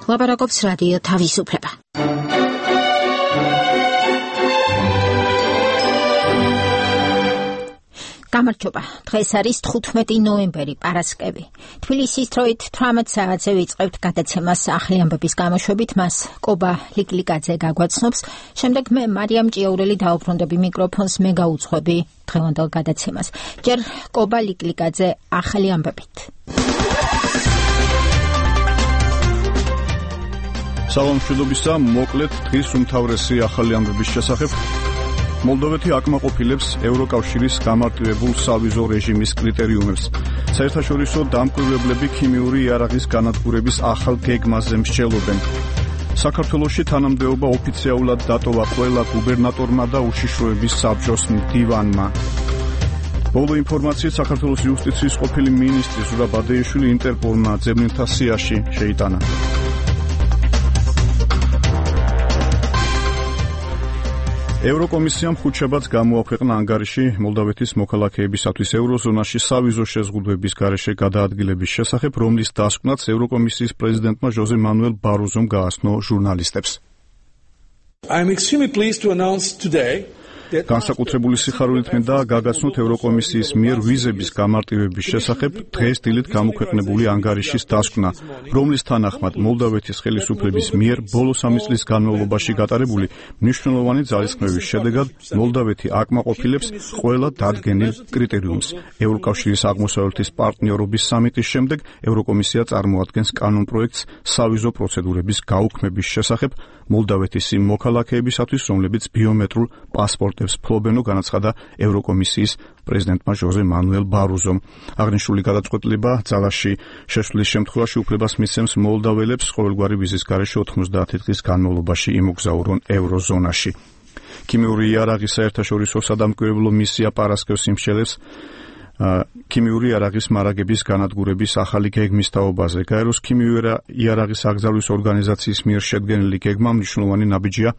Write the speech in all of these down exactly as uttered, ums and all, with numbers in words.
ლაპარაკობს რადიო თავისუფლება. გამარჯობა. დღეს არის თხუთმეტი ნოემბერი, პარასკევი. თბილისის დროით თვრამეტ საათზე ვიწყებთ გადაცემას ახალი ამბების გამოშვებით, მას კობა ლიკლიკაძე გაგვაცნობს. შემდეგ მე მარიამ ჭიაურელი დაუბრუნდები მიკროფონს, მე გაუძღვები დღევანდელ გადაცემას. ჯერ კობა ლიკლიკაძე ახალი ამბებით. სალამ მშვიდობისა, მოკლედ დღის უმთავრესი ახალი ამბების შესახებ. მოლდოვეთი აკმაყოფილებს ევროკავშირის გამარტივებულ სავიზო რეჟიმის კრიტერიუმებს. საერთაშორისო დამკვირვებლები ქიმიური იარაღის განადგურების ახალ გეგმაზე მსჯელობენ. საქართველოში თანამდებობა ოფიციალურად დატოვა ყველა გუბერნატორმა და უშიშროების საბჭოს მდივანმა. ბოლო ინფორმაციით საქართველოს იუსტიციის ყოფილი მინისტრი ზურაბ ბადეიშვილი ინტერპოლმა ძებნელთა სიაში შეიტანა. ევროკომისიამ ხუთშაბათს გამოაქვეყნა ანგარიში მოლდოვეთის მოქალაქეებისათვის ევროზონაში სავიზო შეზღუდვების გარეშე გადაადგილების შესახებ, რომლის დასკვნაც ევროკომისიის პრეზიდენტმა ჟოზე მანუელ ბაროზომ გააცნო ჟურნალისტებს. I am extremely pleased to announce today განსაკუთრებული სიხარულით მინდა გაგაცნოთ ევროკომისიის მიერ ვიზების გამარტივების შესახებ დღეს დილით გამოქვეყნებული ანგარიშის დასკვნა, რომლის თანახმად მოლდოვეთის ხელისუფლების მიერ ბოლო სამი წლის განმავლობაში გატარებული მნიშვნელოვანი ძალისხმევის შედეგად მოლდოვეთი აკმაყოფილებს ყველა დადგენილ კრიტერიუმს. ევროკავშირის აღმოსავლეთის პარტნიორობის სამიტის შემდეგ ევროკომისია წარმოადგენს კანონპროექტს სავიზო პროცედურების გაუქმების შესახებ მოლდოვეთის იმ მოქალაქეებისათვის, რომლებიც ბიომეტრულ პასპორტებს ფლობენო, განაცხადა ევროკომისიის პრეზიდენტმა ჟოზე მანუელ ბაროზომ. აღნიშნული გადაწყვეტილება ძალაში შესვლის შემთხვევაში უფლებას მისცემს მოლდაველებს ყოველგვარი ვიზის გარეშე ოთხმოცდაათი დღის განმავლობაში იმოგზაურონ ევროზონაში. ქიმიური იარაღის საერთაშორისო სადამკვირვებლო მისია პარასკევს იმსჯელებს ქიმიური იარაღის მარაგების განადგურების ახალი გეგმის თაობაზე. გაეროს ქიმიური იარაღის აკრძალვის ორგანიზაციის მიერ შედგენილი გეგმა მნიშვნელოვანი ნაბიჯია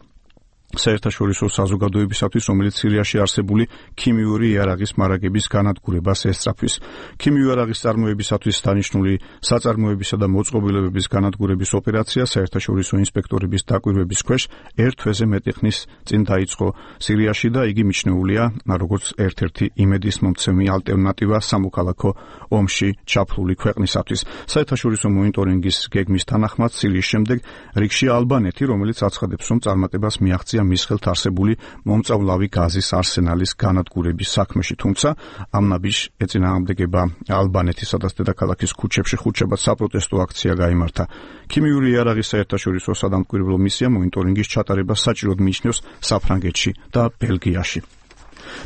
საერთაშორისო საზოგადოებისათვის, რომელიც სირიაში არსებული ქიმიური იარაღის მარაგების განადგურებას ესწრაფვის. ქიმიური იარაღის წარმოებისათვის დანიშნული საწარმოებისა და მოწყობილობების განადგურების ოპერაცია საერთაშორისო ინსპექტორების დაკვირვების ქვეშ ერთ თვეზე მეტი ხნის წინ დაიწყო სირიაში და იგი მიჩნეულია როგორც ერთ-ერთი იმედის მომცემი ალტერნატივა სამოქალაქო ომში ჩაფლული ქვეყნისათვის. საერთაშორისო მონიტორინგის გეგმის თანახმად სირიის შემდეგ რიგში ალბანეთი, რომელიც აცხადებს, რომ წარმატებას მიაღწია მის ხელთ არსებული მომწავლავი გაზის არსენალის განადგურების საქმეში, თუმცა ამ ნაბიჯს ეწინააღმდეგება ალბანეთის სადაც დედაქალაქის ქუჩებში ხუთშაბათს საპროტესტო აქცია გაიმართა. ქიმიური იარაღის საერთაშორისო სადამკვირვებლო მისია მონიტორინგის ჩატარებას საჭიროდ მიიჩნევს საფრანგეთში და ბელგიაში.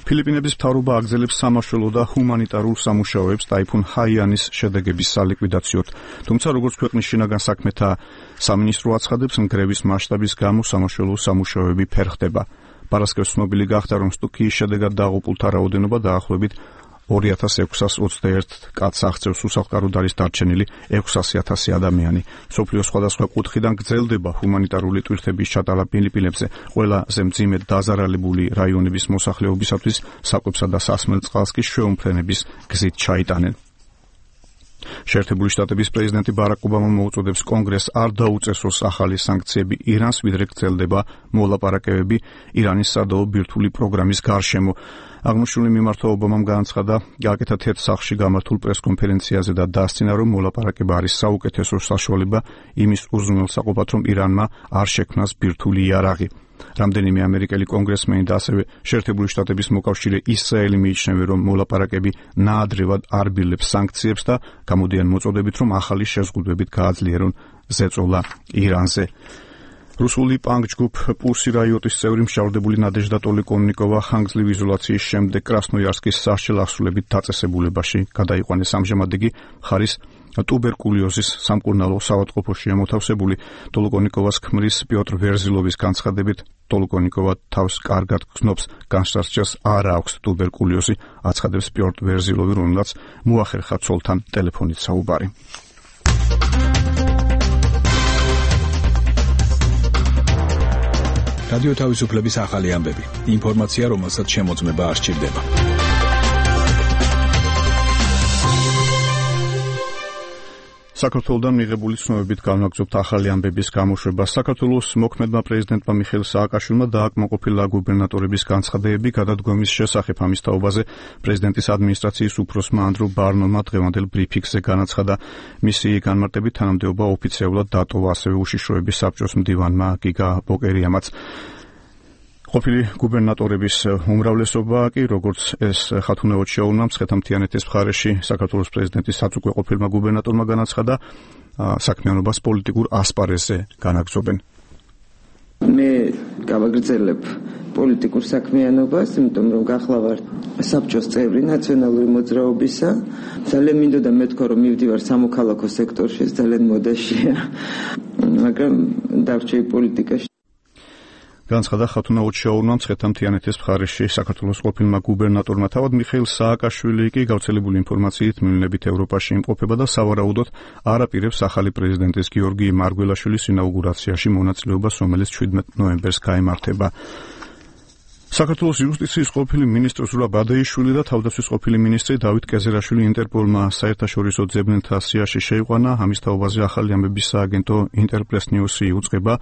ფილიპინების მთავრობა აგრძელებს სამაშველო და ჰუმანიტარულ სამუშაოებს ტაიფუნ ჰაიანის შედეგების სალიკვიდაციოდ, თუმცა როგორც ქვეყნის შინაგან საქმეთა სამინისტრო აცხადებს, ნგრევის მასშტაბის გამო სამაშველო სამუშაოები ფერხდება. პარასკევს ცნობილი გახდა, რომ სტუქიის შედეგად დაღუპულთა რაოდენობა დაახლოებით ორი ათას ექვსას ოცდაერთ კაცს აღწევს, უსახლკაროდ არის დარჩენილი ექვსასი ათასი ადამიანი. მსოფლიოს სხვადასხვა კუთხიდან გრძელდება ჰუმანიტარული ტვირთების ჩატარება ფილიპინებზე. ყველაზე მძიმედ დაზარალებული რაიონების მოსახლეობისათვის საკვებსა და სასმელ წყალს კი შეუმფრენების გზით ჩაიტანენ. შეერთებული შტატების პრეზიდენტი ბარაკ ობამა მოუწოდებს კონგრესს არ დაუწესოს ახალი სანქციები ირანს, ვიდრე გრძელდება მოლაპარაკებები ირანის სადაო ბირთვული პროგრამის გარშემო. აღნიშნული მიმართვა ობამამ განაცხადა გააკეთა თეთრ სახლში გამართულ პრესკონფერენციაზე და დასცინა, რომ მოლაპარაკება არის საუკეთესო საშუალება იმის უზრუნველსაყოფად, რომ ირანმა არ შექმნას ბირთვული იარაღი. რამდენიმე ამერიკელი კონგრესმენი და ასევე შეერთებული შტატების მოკავშირე ისრაელი მიიჩნევენ, რომ მოლაპარაკები ნაადრევად არბილებს სანქციებს და გამოდიან მოწოდებით, რომ ახალი შეზღუდვებით გააძლიერონ ზეწოლა ირანზე. რუსული პანკ ჯგუფ პუსი რაიოტის წევრი მშავდებული ნადეჟდა ტოლიკონიკოვა ხანგრძლივი იზოლაციის შემდეგ კრასნოიარსკის სასჯელ ასრულებით დაწესებულებაში გადაიყვანეს. ამჟამად იგი მხარის ტუბერკულიოზის სამკურნალო საავადმყოფოშია მოთავსებული. ტოლიკონიკოვას ქმრის პიოტრ ვერზილოვის განცხადებით, ტოლიკონიკოვა თავს კარგად გრძნობს, განსაცდელს არ აქვს ტუბერკულიოზი, აცხადებს პიოტრ ვერზილოვი, რომელსაც მოახერხა ცოლთან ტელეფონით საუბარი. რადიო თავისუფლების ახალი ამბები. ინფორმაცია, რომელსაც შემოწმება არ სჭირდება. საქართველოდან მიღებული ცნობებით განვაგრძობთ ახალი ამბების გამოშვება. საქართველოს მოქმედმა პრეზიდენტმა მიხეილ სააკაშვილმა დააკმაყოფილა გუბერნატორების განცხადებები გადადგომის შესახებ. ამის თაობაზე პრეზიდენტის ადმინისტრაციის უფროსმა ანდრო ბარნომა დღევანდელ ბრიფინგზე განაცხადა, მისი განმარტებით თანამდებობა ოფიციალურად დატოვა, ასევე უშიშროების საბჭოს მდივანმა გიგა ბოკერიამაც. ყოფილი გუბერნატორების უმრავლესობა კი, როგორც ეს ხათუნეოდ შეუნა მცხეთა-მთიანეთის მხარეში საქართველოს პრეზიდენტის საწუყვე ყოფილმა გუბერნატორმა განაცხადა, საქმიანობას პოლიტიკურ ასპარეზზე განაგრძობენ. მე გავაგრძელებ პოლიტიკურ საქმიანობას, იმიტომ რომ გახლა ვარ საბჭოს წევრი ნაციონალური მოძრაობისა. ძალიან მინდოდა მეთქვა, რომ მივდივარ სამოქალაქო სექტორში, ძალიან მოდაშია, მაგრამ დავრჩი პოლიტიკაში. განცხადა ხათუნეოდ შეუნა მცხეთა-მთიანეთის მხარეში საქართველოს ყოფილმა გუბერნატორმა. თავად მიხეილ სააკაშვილი კი გავრცელებული ინფორმაციით მივლინებით ევროპაში იმყოფება და სავარაუდოდ არ აპირებს ახალი პრეზიდენტის გიორგი მარგველაშვილის ინაუგურაციაში მონაწილეობას, რომელიც შვიდმეტ ნოემბერს გაიმართება. საქართველოს იუსტიციის ყოფილი მინისტრი ზურაბ ადეიშვილი და თავდაცვის ყოფილი მინისტრი დავით კეზერაშვილი ინტერპოლმა საერთაშორისო ძებნელთა სიაში შეიყვანა. ამის თაობაზე ახალი ამბების სააგენტო ინტერპრეს ნიუსი უწყება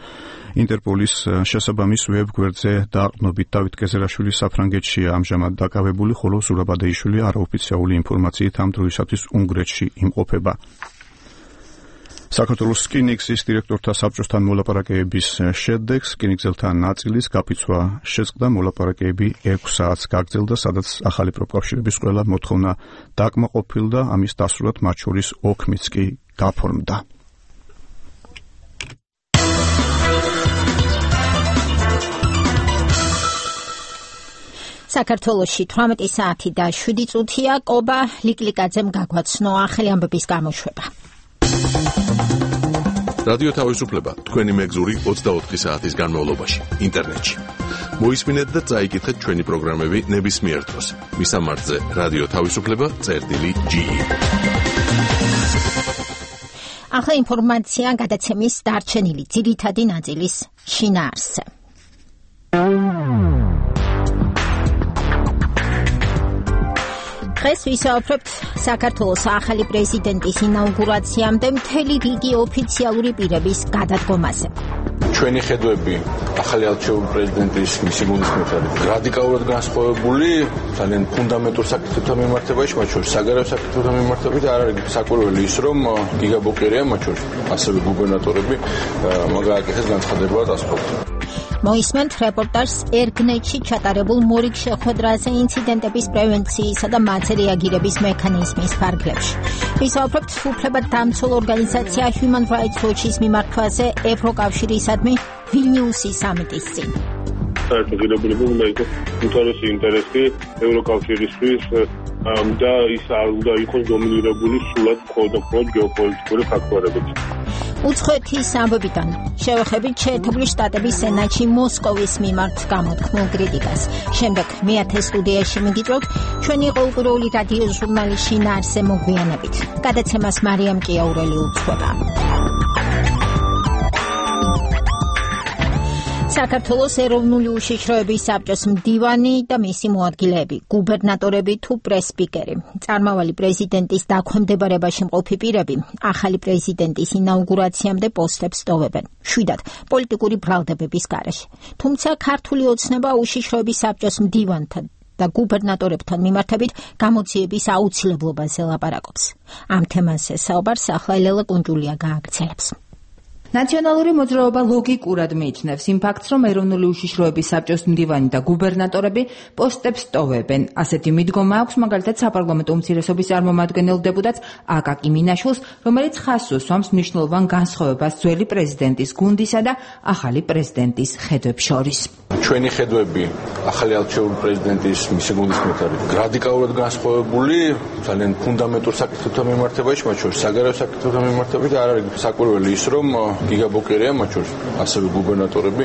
ინტერპოლის შესაბამის ვებ-გვერდზე დაყრდნობით. დავით კეზერაშვილი საფრანგეთშია ამჟამად დაკავებული, ხოლო ზურაბ ადეიშვილი არაოფიციალური ინფორმაციით ამ დროისათვის უნგრეთში იმყოფება. საქართველოს რკინიგზის დირექტორთა საბჭოსთან მოლაპარაკებების შედეგს რკინიგზელთა ნაწილის გაფიცვა შეწყდა. მოლაპარაკებები ექვს საათს გაგრძელდა, სადაც ახალი პროფკავშირების ყველა მოთხოვნა დაკმაყოფილდა. ამის დასრულად მათ შორის ოქმიც კი გაფორმდა. საქართველოში თვრამეტი საათი და შვიდი წუთია. კობა ლიკლიკაძემ გაგვაცნო ახალი ამბების გამოშვება. რადიო თავისუფლება თქვენი მეგზური ოცდაოთხი საათის განმავლობაში ინტერნეტში. მოისმინეთ და წაიკითხეთ ჩვენი პროგრამები ნებისმიერ დროს. მისამართზე რადიო თავისუფლება წერტილი ჯი. ახლა ინფორმაცია გადაცემის დარჩენილი ძირითადი ნაწილის შინაარსზე. დღეს ვისაუბრებთ საქართველოს ახალი პრეზიდენტის ინაუგურაციამდე მთელი რიგი ოფიციალური პირების გადადგომაზე. ჩვენი ხედვები ახალი არჩეული პრეზიდენტის მისი გულისხმობებით რადიკალურად განსხვავებული, ძალიან ფუნდამენტურ საკითხებთან მიმართებაში, მათ შორის საგარეო საკითხებთან მიმართებით. არ არის საკვირველი ის, რომ გიგა ბოკერია, მათ შორის ასევე გუბერნატორები მაგააკეთეს განცხადებულად ასწავლეთ. მოისმენთ რეპორტაჟს ერგნეთში ჩატარებულ მორიგ შეხვედრაზე ინციდენტების პრევენციისა და მათზე რეაგირების მექანიზმის ფარგლებში. ვისაუბრებთ უფლებადდამცველ ორგანიზაცია Human Rights Watch-ის მიმართვაზე ევროკავშირისადმი ვილნიუსის სამიტის წინ. საერთაშორისო უნდა იყოს უმთავრესი ინტერესი ევროკავშირისთვის და ის არ უნდა იყოს დომინირებული სულად მხოლოდ და მხოლოდ გეოპოლიტიკური ფაქტორებით. უცხოეთის ამბებიდან შევეხებით შეერთებული შტატების სენატში მოსკოვის მიმართ გამოთქმულ კრიტიკას. შემდეგ მეათე სტუდიაში მიგიწევთ ჩვენი ყოველკვირეული რადიო ჟურნალის შინაარსზე მოგვიანებით. გადაცემას მარიამ ჭიაურელი უძღვება. საქართველოს ეროვნული უშიშროების საბჭოს მდივანი და მისი მოადგილეები, გუბერნატორები თუ პრეს-სპიკერი, წარმავალი პრეზიდენტის დაქვემდებარებაში მყოფი პირები ახალი პრეზიდენტის ინაუგურაციამდე პოსტებს ტოვებენ, შვიდად პოლიტიკური ბრალდებების გარეშე. თუმცა ქართული ოცნება უშიშროების საბჭოს მდივანთან და გუბერნატორებთან მიმართებით გამოძიების აუცილებლობაზე ლაპარაკობს. ამ თემაზე საუბარს ახლა ელელა კუნჯულია გააგრძელებს. ნაციონალური მოძრაობა ლოგიკურად მიიჩნევს იმ ფაქტს, რომ ეროვნული უშიშროების საბჭოს მდივანი და გუბერნატორები პოსტებს ტოვებენ. ასეთი მიდგომა აქვს მაგალითად საპარლამენტო უმცირესობის წარმომადგენელ დეპუტატს აკაკი მინაშვილს, რომელიც ხაზს უსვამს მნიშვნელოვან განსხვავებას ძველი პრეზიდენტის გუნდისა და ახალი პრეზიდენტის ხედვებს შორის. ჩვენი ხედვები ახალი არჩეული პრეზიდენტის მისი გულისხმობებით რადიკალურად განსხვავებული, ძალიან ფუნდამენტურ საკითხებთან მიმართებაში, მათ შორის საგარეო საკითხებთან მიმართებით. არ არის საკვირველი ის, რომ გიგა ბოკერია, მათ შორის ასევე გუბერნატორები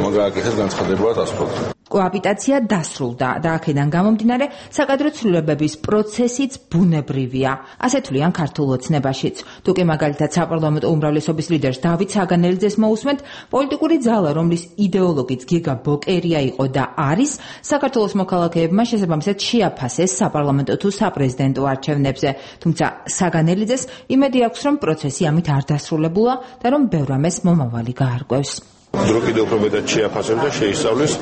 მაგააკეთეს განცხადებულად ასწავლეთ. კოაპიტაცია დასრულდა და აქედან გამომდინარე საკადრო ცვლილებების პროცესიც ბუნებრივია. ასე თვლიან ქართულ ოცნებაშიც. თუკი მაგალითად საპარლამენტო უმრავლესობის ლიდერს დავით საგანელიძეს მოусმენთ, პოლიტიკური ძალა, რომლის იდეოლოგიც გიგა ბოკერია იყო და არის, საქართველოს მოქალაქეებმა შესაბამისად შეაფასეს საპარლამენტო თუ საპრეზიდენტო არჩევნებზე. თუმცა საგანელიძეს იმედი აქვს, რომ პროცესი ამით არ დასრულებულა და რომ ბევრ ამას მომავალი გაარკვევს. დრო კიდევ უფრო მეტად შეაფასებს და შეისწავლის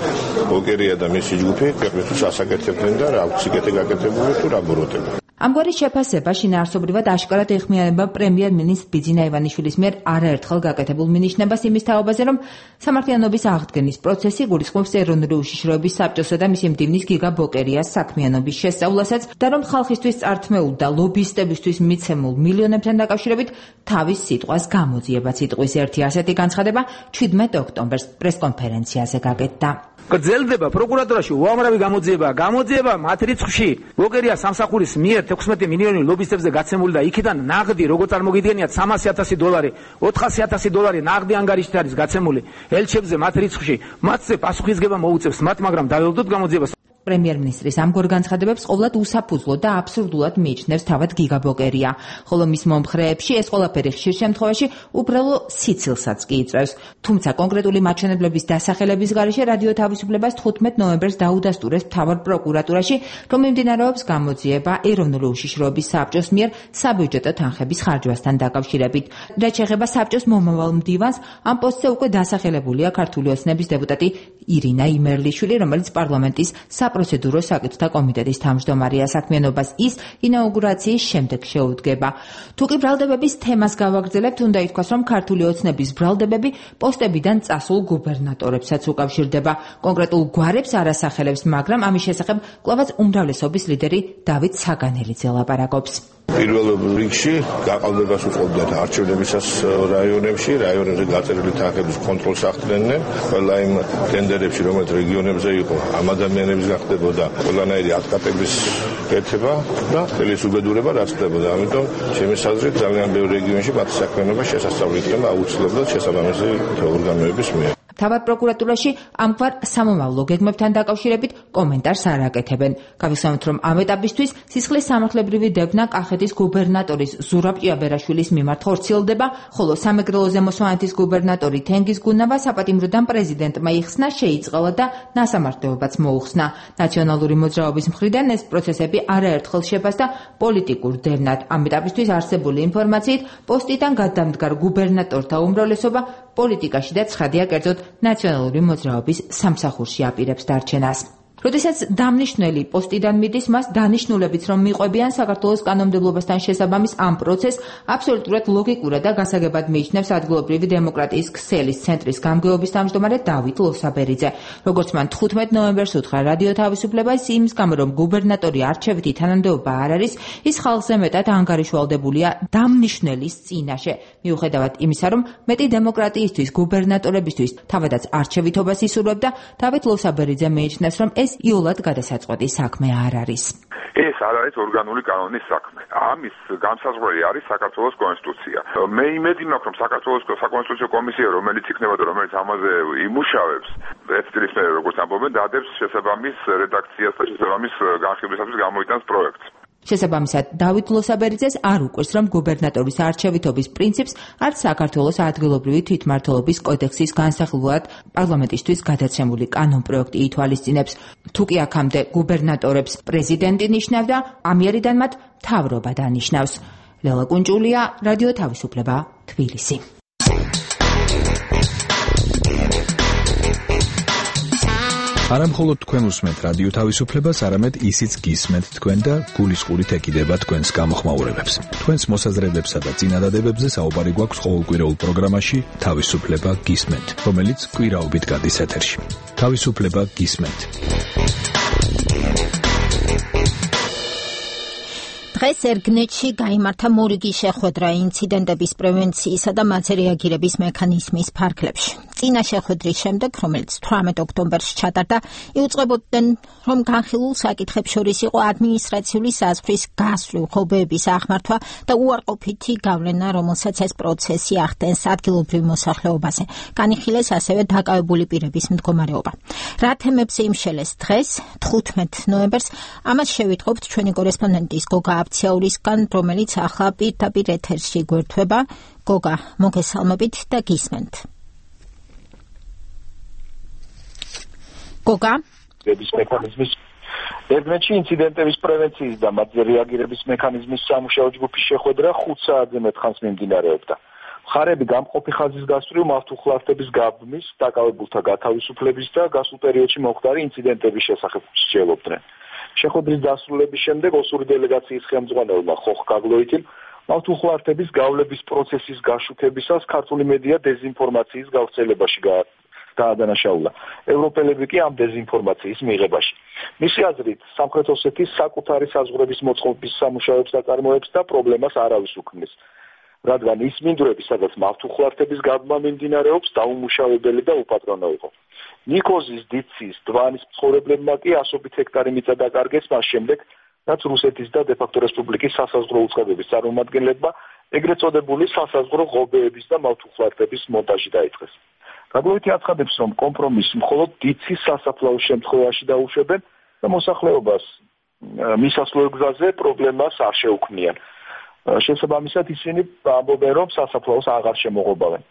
ბოკერია და მისი ჯგუფი ქვეყნისთვის ასაკეთებდნენ და რა სიკეთე გაკეთებული თუ რა ბოროტება. ამგვარი შეფასება შინაარსობრივად აშკარად ეხმიანება პრემიერ-მინისტრ ბიძინა ივანიშვილის მიერ არაერთხელ გაკეთებულ მინიშნებას იმის თაობაზე, რომ სამართლიანობის აღდგენის პროცესი გულისხმობს ეროვნული უშიშროების საბჭოსა და მისი მდივნის გიგა ბოკერიას საქმიანობის შესწავლასაც და რომ ხალხისთვის წართმეულ და ლობისტებისთვის მიცემულ მილიონებთან დაკავშირებით თავის სიტყვას გამოძიებაც იტყვის. ერთი ასეთი განცხადება ჩვიდმეტ ოქტომბერს პრესკონფერენციაზე გაკეთდა. გრძელდება პროკურატურაში უამრავი გამოძიება. გამოძიება მათ რიცხვში ბოკერია სამსახურის მიერ თექვსმეტი მილიონი ლობისტებზე გაცემული და იქიდან ნაღდი როგორ წარმოგიდგენიათ სამასი ათასი დოლარი, ოთხასი ათასი დოლარი ნაღდი ანგარიშით არის გაცემული ელჩებზე მათ რიცხვში. მათზე პასუხისგება მოუწევს მათ, მაგრამ დაველოდოთ გამოძიებას. პრემიერ-მინისტრის ამგვარ განცხადებებს ყოვლად უსაფუძვლო და აბსურდულად მიიჩნევს თავად გიგა ბოკერია, ხოლო მის მომხრეებში ეს ყველაფერი ხშირ შემთხვევაში უბრალო სიცილსაც კი იწვევს. თუმცა კონკრეტული მაჩვენებლების დასახელების გარეშე რადიო თავისუფლებას თხუთმეტ ნოემბერს დაუდასტურეს მთავარ პროკურატურაში, რომ მიმდინარეობს გამოძიება ეროვნული უშიშროების საბჭოს მიერ საბიუჯეტო თანხების ხარჯვასთან დაკავშირებით. რაც შეეხება საბჭოს მომავალ მდივანს, ამ პოსტზე უკვე დასახელებულია ქართული ოცნების დეპუტატი ირინა იმერლიშვილი, რომელიც პარლამენტის საპროცედურო საკითხთა კომიტეტის თავმჯდომარეა. საქმიანობას ის ინაუგურაციის შემდეგ შეუდგება. თუკი ბრალდებების თემას გავაგრძელებთ, უნდა ითქვას, რომ ქართული ოცნების ბრალდებები პოსტებიდან წასულ გუბერნატორებსაც უკავშირდება. კონკრეტულ გვარებს არ ასახელებს, მაგრამ ამის შესახებ კვლავაც უმრავლესობის ლიდერი დავით საგანელიძე ლაპარაკობს. პირველ რიგში გაყალბებას უწყობდათ არჩევნებისას რაიონებში, რაიონებზე გაწერილი თანხების კონტროლს ახდენენ. ყველა იმ ტენდერებში, რომელიც რეგიონებზე იყო, ამ ადამიანების გახდებოდა ყველანაირი ატკატების კეთება და ხელის უბედურება რაც ხდებოდა. ამიტომ ჩემი საზრით ძალიან ბევრ რეგიონში მათი საქმიანობა შესასწავლი იქნება აუცილებლად შესაბამისი ორგანოების მიერ. თავად პროკურატურაში ამგვარ სამომავლო გეგმებთან დაკავშირებით კომენტარს არ აკეთებენ. გავიხსენოთ, რომ ამ ეტაპისთვის სისხლის სამართლებრივი დევნა კახეთის გუბერნატორის ზურაბ ჭიაბერაშვილის მიმართ ხორციელდება, ხოლო სამეგრელოზე მოსვანეთის გუბერნატორი თენგიზ გუნავა საპატიმროდან პრეზიდენტმა იხსნა, შეიწყალა და ნასამართლებლობაც მოუხსნა. ნაციონალური მოძრაობის მხრიდან ეს პროცესები არაერთხელ შეფასდა პოლიტიკურ დევნად. ამ ეტაპისთვის არსებული ინფორმაციით პოსტიდან გადამდგარ გუბერნატორთა უმრავლესობა პოლიტიკაში და ცხადია კერძოდ ნაციონალური მოძრაობის სამსახურში აპირებს დარჩენას. როდესაც დამნიშნელი პოსტიდან მიდის, მას დანიშნულებიც რომ მიყვებიან საქართველოს კანონმდებლობასთან შესაბამის ამ პროცესს აბსოლუტურად ლოგიკურად და გასაგებად მიიჩნევს ადგილობრივი დემოკრატიის ქსელის ცენტრის გამგეობის თავმჯდომარე დავით ლოსაბერიძე. როგორც მან თხუთმეტ ნოემბერს უთხრა რადიო თავისუფლებას, იმის გამო რომ გუბერნატორი არჩევითი თანამდებობა არ არის, ის ხალხზე მეტად ანგარიშვალდებულია დამნიშნელის წინაშე. მიუხედავად იმისა, რომ მეტი დემოკრატიისთვის გუბერნატორებისთვის თავადაც არჩევითობას ისურვებდა, დავით ლოსაბერიძე მიიჩნევს, რომ ეს იოლად გადასაწყვეტი საქმე არ არის. ეს არ არის ორგანული კანონის საქმე. ამის განსაზღვრელი არის საქართველოს კონსტიტუცია. მე იმედი მაქვს, რომ საქართველოს საკონსტიტუციო კომისია, რომელიც იქნება და რომელიც ამაზე იმუშავებს, ერთ წლის მერე როგორც ამბობენ, დადებს შესაბამის რედაქციას და შესაბამის განხილვისათვის გამოიტანს პროექტს. შესაბამისად, დავით ლოსაბერიძეს არ უყვირს, რომ გუბერნატორის არჩევითობის პრინციპს არც საქართველოს ადგილობრივი თვითმმართველობის კოდექსის განსახილველად პარლამენტისთვის გადაცემული კანონპროექტი ითვალისწინებს. თუკი აქამდე გუბერნატორებს პრეზიდენტი ნიშნავდა, ამიერიდან მათ მთავრობა დანიშნავს. ლელა კუნჭულია, რადიო თავისუფლება, თბილისი. არა მხოლოდ თქვენ უსმენთ რადიო თავისუფლებას, არამედ ისიც გისმენთ თქვენ და გულისყურით ეკიდება თქვენს გამოხმაურებებს. თქვენს მოსაზრებებსა და წინადადებებზე საუბარი გვაქვს ყოველკვირეულ პროგრამაში თავისუფლება გისმენთ, რომელიც კვირაობით გადის ეთერში. თავისუფლება გისმენთ. დღეს ერგნეთში გაიმართა მორიგი შეხვედრა ინციდენტების პრევენციისა და მათზე რეაგირების მექანიზმის ფარგლებში. წინა შეხვედრის შემდეგ, რომელიც თვრამეტ ოქტომბერში ჩატარდა, იუწყებოდნენ, რომ განხილულ საკითხებს შორის იყო ადმინისტრაციული საზღვრის გასვლი, ხობეების აღმართვა და უარყოფითი გავლენა, რომელსაც ეს პროცესი ახდენს ადგილობრივ მოსახლეობაზე. განიხილეს ასევე დაკავებული პირების მდგომარეობა. რა თემებზე იმშელეს დღეს, თხუთმეტ ნოემბერს, ამას შევიტყობთ ჩვენი კორესპონდენტის გოგა აბციაურისგან, რომელიც ახლა პირდაპირ ეთერში გვერდება. გოგა, მოგესალმებით და გისმენთ. გოგა? მექანიზმის ერთმეტში ინციდენტების პრევენციის და მათზე რეაგირების მექანიზმის სამუშაო ჯგუფის შეხვედრა ხუთ საათზე მეტ ხანს მიმდინარეობდა. მხარეები გამყოფი ხაზის გასწვრივ მართულხლართების გაბმის, დაკავებულთა გათავისუფლების და გასულ პერიოდში მომხდარი ინციდენტების შესახებ მსჯელობდნენ. შეხვედრის დასრულების შემდეგ ოსური დელეგაციის ხელმძღვანელმა ხოხ გაგლოიტიმ მართულხლართების გავლების პროცესის გაშუქებისას ქართული მედია დეზინფორმაციის გავრცელებაში გაადანაშაულა. ევროპელები კი ამ დეზინფორმაციის მიღებაში. მისი აზრით, სამხრეთ ოსეთის საკუთარი საზღვრების მოწყობის სამუშაოებს აწარმოებს და პრობლემას არავის უქმნის. რადგან ის მინდვრები, სადაც მართულხლართების გაბმა მიმდინარეობს, დაუმუშავებელი და უპატრონო იყო. ნიკოზის, დიცის, დვანის მცხოვრებლებმა კი ასობით ჰექტარი მიწა დაკარგეს მას შემდეგ, რაც რუსეთის და დე-ფაქტო რესპუბლიკის სასაზღვრო უწყებების წარმომადგენლებმა ეგრეთ წოდებული სასაზღვრო ღობეების და მართულხლართების მონტაჟი დაიწყეს. გაგლოიტი აცხადებს, რომ კომპრომისს მხოლოდ დიცის სასაფლაოს შემთხვევაში დაუშვებენ და მოსახლეობას მისასვლელ გზაზე პრობლემას არ შეუქმნიან. შესაბამისად ისინი ამბობენ, რომ სასაფლაოს აღარ შემოღობავენ.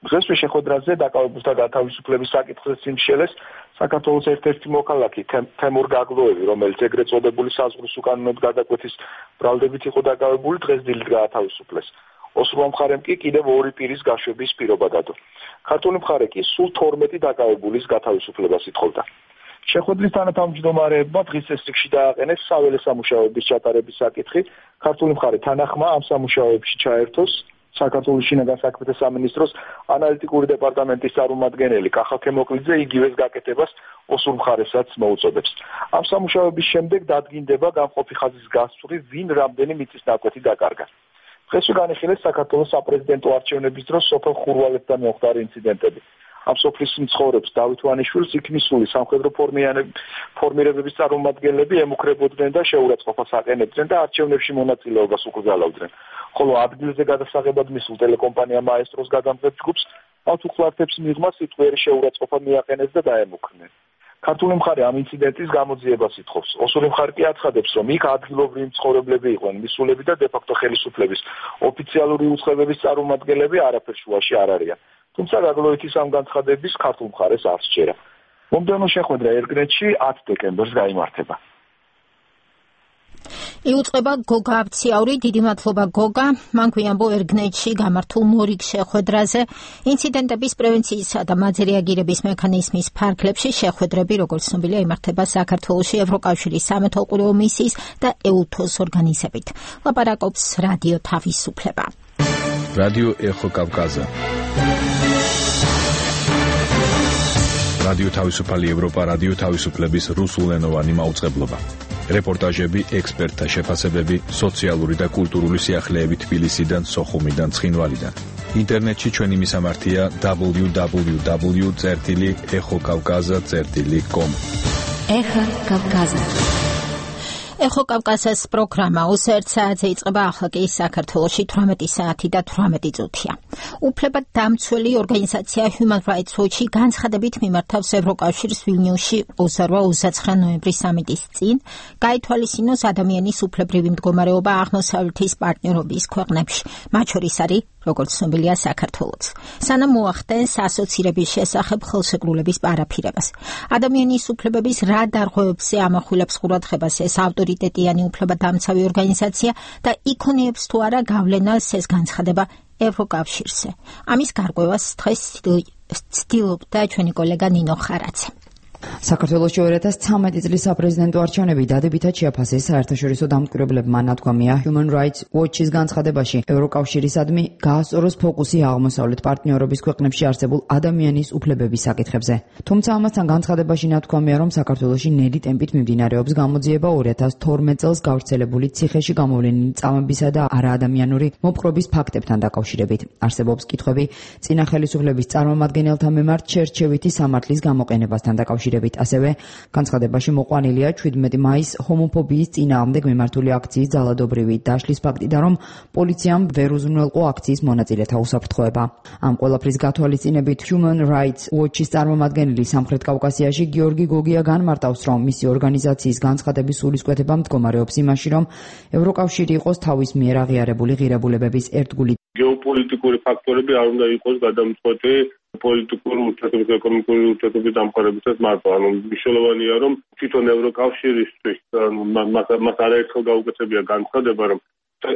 დღესვე შეხვედრაზე დაკავებულთა გათავისუფლების საკითხზე სიმშელეს საქართველოს ერთ-ერთი მოქალაქე თემურ გაგლოევი, რომელიც ეგრეთ წოდებული საზღვრის უკანონოდ გადაკვეთის ბრალდებით იყო დაკავებული, დღეს დილით გაათავისუფლეს. ოსურმა მხარემ კი კიდევ ორი პირის გაშვების პირობა დადო. ქართული მხარე კი სულ თორმეტი დაკავებულის გათავისუფლებას ითხოვდა. შეხვედრის თანათავმჯდომარეებმა დღის წესრიგში დააყენეს საველე სამუშაოების ჩატარების საკითხი, ქართული მხარე თანახმა ამ სამუშაოებში ჩაერთოს საქართველოს შინაგან საქმეთა სამინისტროს ანალიტიკური დეპარტამენტის წარმომადგენელი კახა ქემოკლიძე იგივეს გაკეთებას ოსურ მხარესაც მოუწოდებს. ამ სამუშაოების შემდეგ დადგინდება გამყოფი ხაზის გასწვრივ ვინ რამდენი მიწის ნაკვეთი დაკარგა. დღესვე განიხილეს საქართველოს საპრეზიდენტო არჩევნების დროს სოფელ ხურვალეთთან მომხდარი ინციდენტები. ამ სოფლის მცხოვრებს დავით ვანიშვილს იქნისული სამხედრო ფორმირებების წარმომადგენლები ემუქრებოდნენ და შეურაცხყოფას აყენებდნენ და არჩევნებში მონაწილეობას უკრძალავდნენ. ხოლო ადგილზე გადასაღებად მისულ ტელეკომპანია მაესტროს გადამზად ჯგუფს მართულხლართებს მიღმა სიტყვიერი შეურაცხყოფა მიაყენეს და დაემუქრნენ. ქართული მხარე ამ ინციდენტის გამოძიებას ითხოვს. ოსური მხარე კი აცხადებს, რომ იქ ადგილობრივი მცხოვრებლები იყვნენ მისულები და დე-ფაქტო ხელისუფლების ოფიციალური უწყებების წარმომადგენლები არაფერ შუაში არ არიან. თუმცა გაგლოიტის ამ განცხადების ქართულ მხარეს არ სჯერა. მომდევნო შეხვედრა ერგნეთში ათ დეკემბერს გაიმართება. იუწყება გოგა აბციაური, დიდი მადლობა გოგა. მან გვიამბო ერგნეთში გამართულ მორიგ შეხვედრაზე ინციდენტების პრევენციისა და მათზე რეაგირების მექანიზმის ფარგლებში შეხვედრები, როგორც ცნობილია, იმართება საქართველოში ევროკავშირის სამეთვალყურეო მისიის და ეუთოს ორგანიზებით. ლაპარაკობს რადიო თავისუფლება. რადიო ეხო კავკაზა. რადიო თავისუფალი ევროპა, რადიო თავისუფლების რუსულენოვანი მაუწყებლობა. რეპორტაჟები, ექსპერტთა შეფასებები, სოციალური და კულტურული სიახლეები თბილისიდან, სოხუმიდან, ცხინვალიდან. ინტერნეტში ჩვენი მისამართია დაბლიუ დაბლიუ დაბლიუ წერტილი ეხო კავკაზა წერტილი კომ. ეხო კავკაზა. ეხო კავკაზას პროგრამა ოცდაერთ საათზე იწყება, ახლა კი საქართველოში თვრამეტი საათი და თვრამეტი წუთია. უფლებადამცველი ორგანიზაცია Human Rights Watch განცხადებით მიმართავს ევროკავშირს ვილნიუსში ოცდაორი ოცდაცხრა ნოემბრის სამიტის წინ გაითვალისწინოს ადამიანის უფლებრივი მდგომარეობა აღმოსავლეთის პარტნიორობის ქვეყნებში, მათ შორის არის როგორც ცნობილია საქართველოც. სანამ მოახდენს ასოცირების შესახებ ხელშეკრულების პარაფირებას. ადამიანის უფლებების რა დარღვევებზე ამახვილებს ყურადღებას ეს ავტორიტეტიანი უფლებადამცავი ორგანიზაცია და იქონიებს თუ არა გავლენას ეს განცხადება ევროკავშირზე. ამის გარკვევას დღეს ცდილობდა ჩვენი კოლეგა ნინო ხარაძე. საქართველოში ორი ათას ცხრამეტი წლის საპრეზიდენტო არჩევნები დადებითად შეაფასეს საერთაშორისო დამკვირვებლებმა. ნათქვამია Human Rights Watch-ის განცხადებაში, ევროკავშირისადმი გაასწოროს ფოკუსი აღმოსავლეთ პარტნიორობის ქვეყნებში არსებულ ადამიანის უფლებების საკითხებზე. თუმცა ამასთან განცხადებაში ნათქვამია, რომ საქართველოში ნელი ტემპით მიმდინარეობს გამოძიება ორი ათას თორმეტ წელს გავრცელებული ციხეში გამოვლენილი წამებისა და არაადამიანური მოპყრობის ფაქტებთან დაკავშირებით. არსებობს კითხვები წინა ხელისუფლების წარმომადგენელთა მიმართ შერჩევითი სამართლის გამოყენებასთან დაკავშირებით. ასევე განცხადებაში მოყვანილია შვიდმეტი მაისს ჰომოფობიის წინააღმდეგ მიმართული აქციის ძალადობრივი დაშლის ფაქტი და რომ პოლიციამ ვერ უზრუნველყო აქციის მონაწილეთა უსაფრთხოება. ამ ყველაფრის გათვალისწინებით Human Rights Watch-ის წარმომადგენელი სამხრეთ კავკასიაში გიორგი გოგია განმარტავს, რომ მისი ორგანიზაციის განცხადების სულისკვეთება მდგომარეობს იმაში, რომ ევროკავშირი იყოს თავის მიერ აღიარებული ღირებულებების ერთგული. გეოპოლიტიკური ფაქტორები არ უნდა იყოს გადამწყვეტი პოლიტიკური ურთიერთობების, ეკონომიკური ურთიერთობების დამყარებისას მარტო. ანუ მნიშვნელოვანია, რომ თვითონ ევროკავშირისთვის მას არაერთხელ გაუკეთებია განცხადება, რომ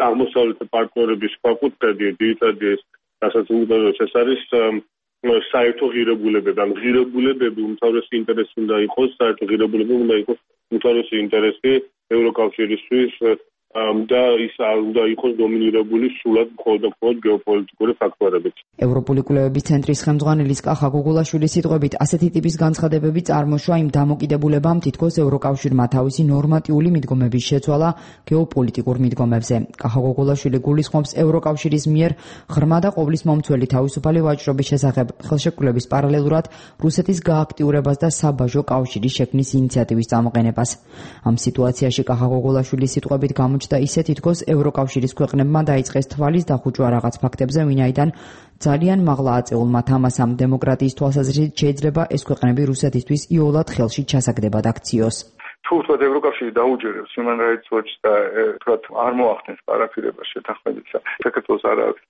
აღმოსავლეთ პარტნიორების საკუთრება ძირითადად რასაც უმთავრეს ეს არის საერთო ღირებულებები. ან ღირებულებები უმთავრესი ინტერესი უნდა იყოს, საერთო ღირებულებები უნდა იყოს უმთავრესი ინტერესი ევროკავშირისთვის და ის არ უნდა იყოს დომინირებული სულად მხოლოდ და მხოლოდ გეოპოლიტიკური ფაქტორებით. ევროპული კვლევების ცენტრის ხელმძღვანელის კახა გოგულაშვილის სიტყვებით, ასეთი ტიპის განცხადებები წარმოშვა იმ დამოკიდებულებამ, თითქოს ევროკავშირმა თავისი ნორმატიული მიდგომების შეცვალა გეოპოლიტიკურ მიდგომებზე. კახა გოგულაშვილი გულისხმობს ევროკავშირის მიერ ღრმა და ყოვლის მომცველი თავისუფალი ვაჭრობის შესახებ ხელშეკრულების პარალელურად რუსეთის გააქტიურებას და საბაჟო კავშირის შექმნის ინიციატივის წამოყენებას. ამ სიტუაციაში კახა გოგულაშვილის სიტყვებით გამოჩნდა და ისე თითქოს ევროკავშირის ქვეყნებმა დაიწყეს თვალის დახუჭვა რაღაც ფაქტებზე, ვინაიდან ძალიან მაღლა აწეულმა თამასამ დემოკრატიის თვალსაზრისით შეიძლება ეს ქვეყნები რუსეთისთვის იოლად ხელში ჩასაგდებად აქციოს. თუ ვთქვათ ევროკავშირი დაუჯერებს Human Rights Watch და ვთქვათ არ მოახდენს პარაფირებას შეთანხმებისა, საქართველოს არ აქვს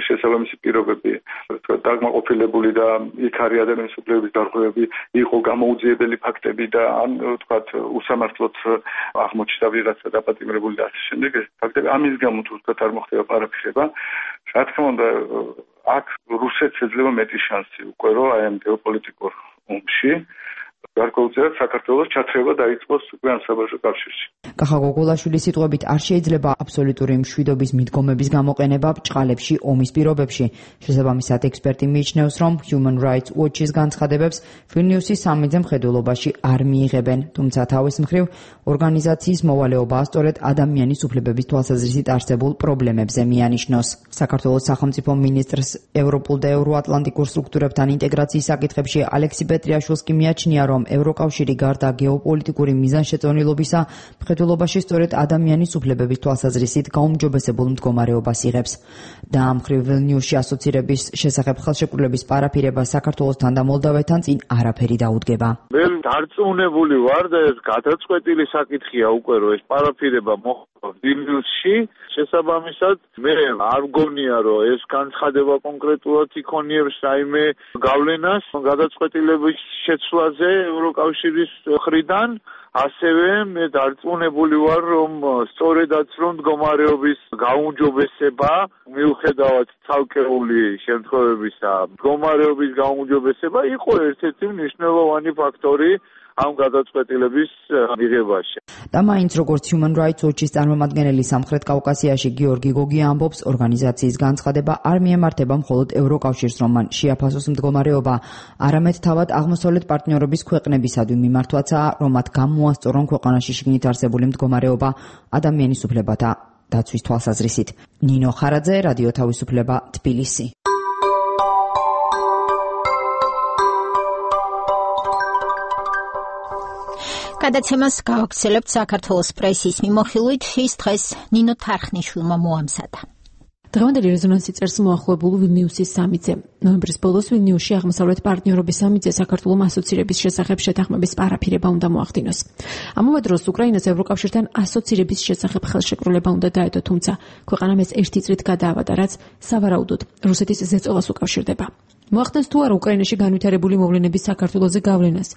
შესაბამისი პირობები, ვთქვათ დაკმაყოფილებული და იქ არის ადამიანის უფლებების დარღვევები, იყო გამოუძიებელი ფაქტები და ან ვთქვათ უსამართლოდ აღმოჩნდა ვიღაცა დაპატიმრებული და ასე შემდეგ ეს ფაქტები ამის გამო თუ ვთქვათ არ მოხდება პარაფირება, რა თქმა უნდა აქ რუსეთს ეძლევა მეტი შანსი უკვე რომ აი ამ გეოპოლიტიკურ ომში გარკვეულწილად საქართველოს ჩათრება დაიწყოს უკვე ამ საბაჟო კავშირში. კახა გოგულაშვილის სიტყვებით არ შეიძლება აბსოლუტური მშვიდობის მიდგომების გამოყენება ბრჭყალებში ომის პირობებში. შესაბამისად ექსპერტი მიიჩნევს, რომ Human Rights Watch-ის განცხადებებს ვილნიუსის სამი-ძე მხედველობაში არ მიიღებენ, თუმცა თავის მხრივ ორგანიზაციის მოვალეობაა სწორედ ადამიანის უფლებების თვალსაზრისით არსებულ პრობლემებზე მიანიშნოს. საქართველოს სახელმწიფო მინისტრს ევროპულ და ევროატლანტიკურ სტრუქტურებთან ინტეგრაციის საკითხებში ალექსი პეტრიაშვილს კი მიაჩნია, რომ ევროკავშირი გარდა გეოპოლიტიკური მიზანშეწონილობისა მხედველობაში სწორედ ადამიანის უფლებების თვალსაზრისით გაუმჯობესებულ მდგომარეობას იღებს. და ამ მხრივ ვილნიუსში ასოცირების შესახებ ხელშეკრულების პარაფირება საქართველოსთან და მოლდავეთთან წინ არაფერი დაუდგება. მე დარწმუნებული ვარ და ეს გადაწყვეტილი საკითხია უკვე რომ ეს პარაფირება მოხდა ვილნიუსში. შესაბამისად მე არ მგონია რომ ეს განცხადება კონკრეტულად იქონიებს რაიმე გავლენას გადაწყვეტილების შეცვლაზე ევროკავშირის მხრიდან. ასევე მე დარწმუნებული ვარ რომ სწორედაც რომ მდგომარეობის გაუმჯობესება მიუხედავად ცალკეული შემთხვევებისა მდგომარეობის გაუმჯობესება იყო ერთ-ერთი მნიშვნელოვანი ფაქტორი ამ გადაწყვეტილების მიღებაში. და მაინც როგორც Human Rights Watch-ის წარმომადგენელი სამხრეთ კავკასიაში გიორგი გოგია ამბობს, ორგანიზაციის განცხადება არ მიემართება მხოლოდ ევროკავშირს, რომ მან შეაფასოს მდგომარეობა, არამედ თავად აღმოსავლეთ პარტნიორობის ქვეყნებისადმი მიმართვაცაა, რომ მათ გამოასწორონ ქვეყანაში შიგნით არსებული მდგომარეობა ადამიანის უფლებათა დაცვის თვალსაზრისით. ნინო ხარაძე, რადიო თავისუფლება, თბილისი. გადაცემას გავაგრძელებთ საქართველოს პრესის მიმოხილვით, ის დღეს ნინო თარხნიშვილმა მოამზადა. დღევანდელი რეზონანსი წერს მოახლოებულ ვილნიუსის სამიტზე. ნოემბრის ბოლოს ვილნიუსში აღმოსავლეთ პარტნიორობის სამიტზე საქართველოს ასოცირების შესახებ შეთანხმების პარაფირება უნდა მოახდინოს. ამავე დროს უკრაინას ევროკავშირთან ასოცირების შესახებ ხელშეკრულება უნდა დაედო, თუმცა ქვეყანამ ეს ერთი წლით გადაავადა, რაც სავარაუდოდ რუსეთის ზეწოლას უკავშირდება. მოახდენს თუ არა უკრაინაში განვითარებული მოვლენების საქართველოზე გავლენას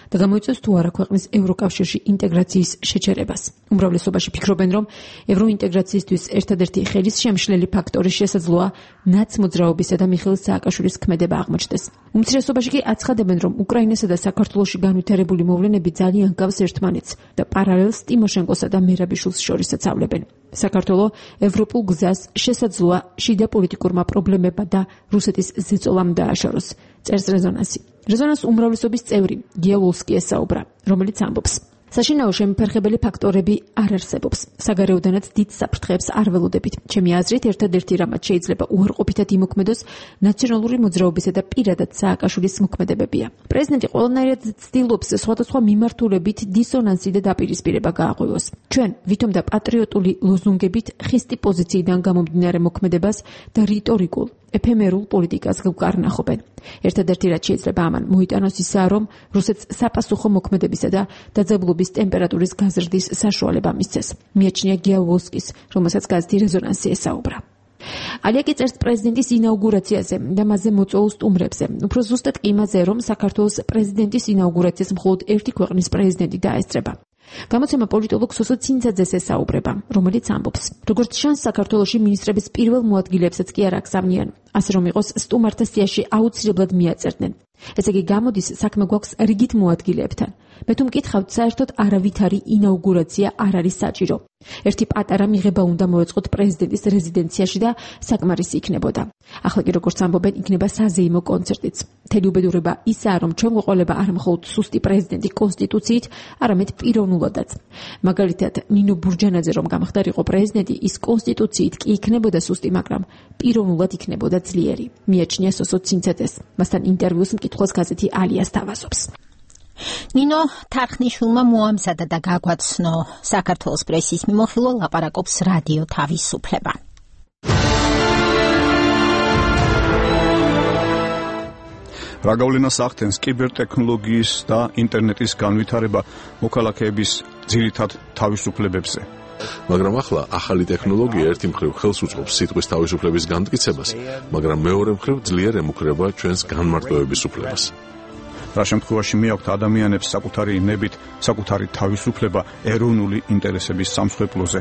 და გამოიწვევს თუ არა ქვეყნის ევროკავშირში ინტეგრაციის შეჩერებას. უმრავლესობაში ფიქრობენ, რომ ევროინტეგრაციისთვის ერთადერთი ხელისშემშლელი ფაქტორი შესაძლოა ნაცმოძრაობისა და მიხეილ სააკაშვილის სააკაშვილის ქმედება აღმოჩნდეს. უმცირესობაში კი აცხადებენ, რომ უკრაინასა და საქართველოში განვითარებული მოვლენები ძალიან გავს ერთმანეთს და პარალელს ტიმოშენკოსა და მერაბიშვილს შორისაც ავლებენ. საქართველო ევროპულ გზას შესაძლოა შიდა პოლიტიკურმა პრობლემებმა და რუსეთის ზეწოლამ დააშოროს. წერს რეზონანსი. რეზონანს უმრავლესობის წევრი გიავოლსკი ესაუბრა, რომელიც ამბობს: საშინაო შემფერხებელი ფაქტორები არ არსებობს. საგარეოდანაც დიდ საფრთხეებს არ ველოდებით. ჩემი აზრით, ერთადერთი რამაც შეიძლება უარყოფითად იმოქმედოს ნაციონალური მოძრაობისა და პირადად სააკაშვილის მოქმედებებია. პრეზიდენტი ყველანაირად ცდილობს სხვადასხვა მიმართულებით დისონანსი და დაპირისპირება გააღვივოს. ჩვენ ვითომ და პატრიოტული ლოზუნგებით ხისტი პოზიციიდან გამომდინარე მოქმედებას და რიტორიკულ ეფემერულ პოლიტიკას გვკარნახობენ. ერთადერთი რაც შეიძლება ამან მოიტანოს ისაა, რომ რუსეთს საპასუხო მოქმედებისა და დაძაბულობის ტემპერატურის გაზრდის საშუალება მისცეს. მიაჩნია გიავოლსკის, რომელსაც გაზეთი რეზონანსი ესაუბრა. ალიაკი წერს პრეზიდენტის ინაუგურაციაზე და მასზე მოწვეულ სტუმრებზე. უფრო ზუსტად კი იმაზე, რომ საქართველოს პრეზიდენტის ინაუგურაციას მხოლოდ ერთი ქვეყნის პრეზიდენტი დაესწრება. გამოცემა პოლიტოლოგ სოსო ცინცაძეს ესაუბრება, რომელიც ამბობს: როგორც ჩანს, საქართველოში მინისტრების პირველ მოადგილეებსაც კი არ აქსავნიან, ასე რომ იყოს სტუმართა სიაში აუცილებლად მიაწერდნენ. ესე იგი, გამოდის საქმე გვაქვს რიგით მოადგილეებთან. მე თუ მკითხავთ, საერთოდ არავითარი ინაუგურაცია არ არის საჭირო. ერთი პატარა მიღება უნდა მოეწყოთ პრეზიდენტის რეზიდენციაში და საკმარისი იქნებოდა. ახლა კი როგორც ამბობენ, იქნება საზეიმო კონცერტიც. მთელი უბედურება ისაა, რომ ჩვენ გვეყოლება არ მხოლოდ სუსტი პრეზიდენტი კონსტიტუციით, არამედ პიროვნულადაც. მაგალითად, ნინო ბურჯანაძე რომ გამხდარიყო პრეზიდენტი, ის კონსტიტუციით კი იქნებოდა სუსტი, მაგრამ პიროვნულად იქნებოდა ძლიერი. მიაჩნია სოსო ცინცაძეს. მასთან ინტერვიუს მკითხველს გაზეთი ალიას თავაზობს. ნინო თარხნიშვილმა მოამზადა და გაგვაცნო საქართველოს პრესის მიმოხილვა, ლაპარაკობს რადიო თავისუფლება. რა გავლენას ახდენს კიბერთექნოლოგიის და ინტერნეტის განვითარება მოქალაქეების ძირითად თავისუფლებებზე? მაგრამ ახლა ახალი ტექნოლოგია ერთი მხრივ ხელს უწყობს სიტყვის თავისუფლების განმტკიცებას, მაგრამ მეორე მხრივ ძლიერ ემუქრება ჩვენს განმარტოების უფლებას. რა შემთხვევაში მიაქვთ ადამიანებს საკუთარი ნებით, საკუთარი თავისუფლება ეროვნული ინტერესების სამსხვერპლოზე?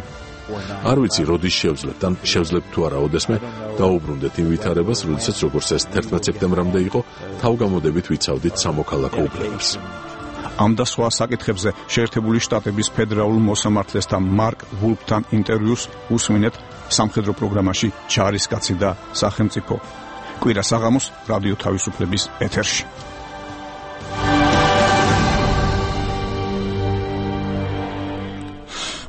არ ვიცი, როდის შევძლებთ, ან შევძლებთ თუ არა ოდესმე დაუბრუნდეთ იმ ვითარებას, როდესაც როგორც ეს თერთმეტ სექტემბრამდე იყო, თავგამოდებით ვიცავდით სამოქალაქო უფლებებს. ამ და სხვა საკითხებზე შეერთებული შტატების ფედერალურ მოსამართლესთან მარკ ვულფთან ინტერვიუს უსმინეთ სამხედრო პროგრამაში ჯარისკაცი და სახელმწიფო. კვირა საღამოს რადიო თავისუფლების ეთერში.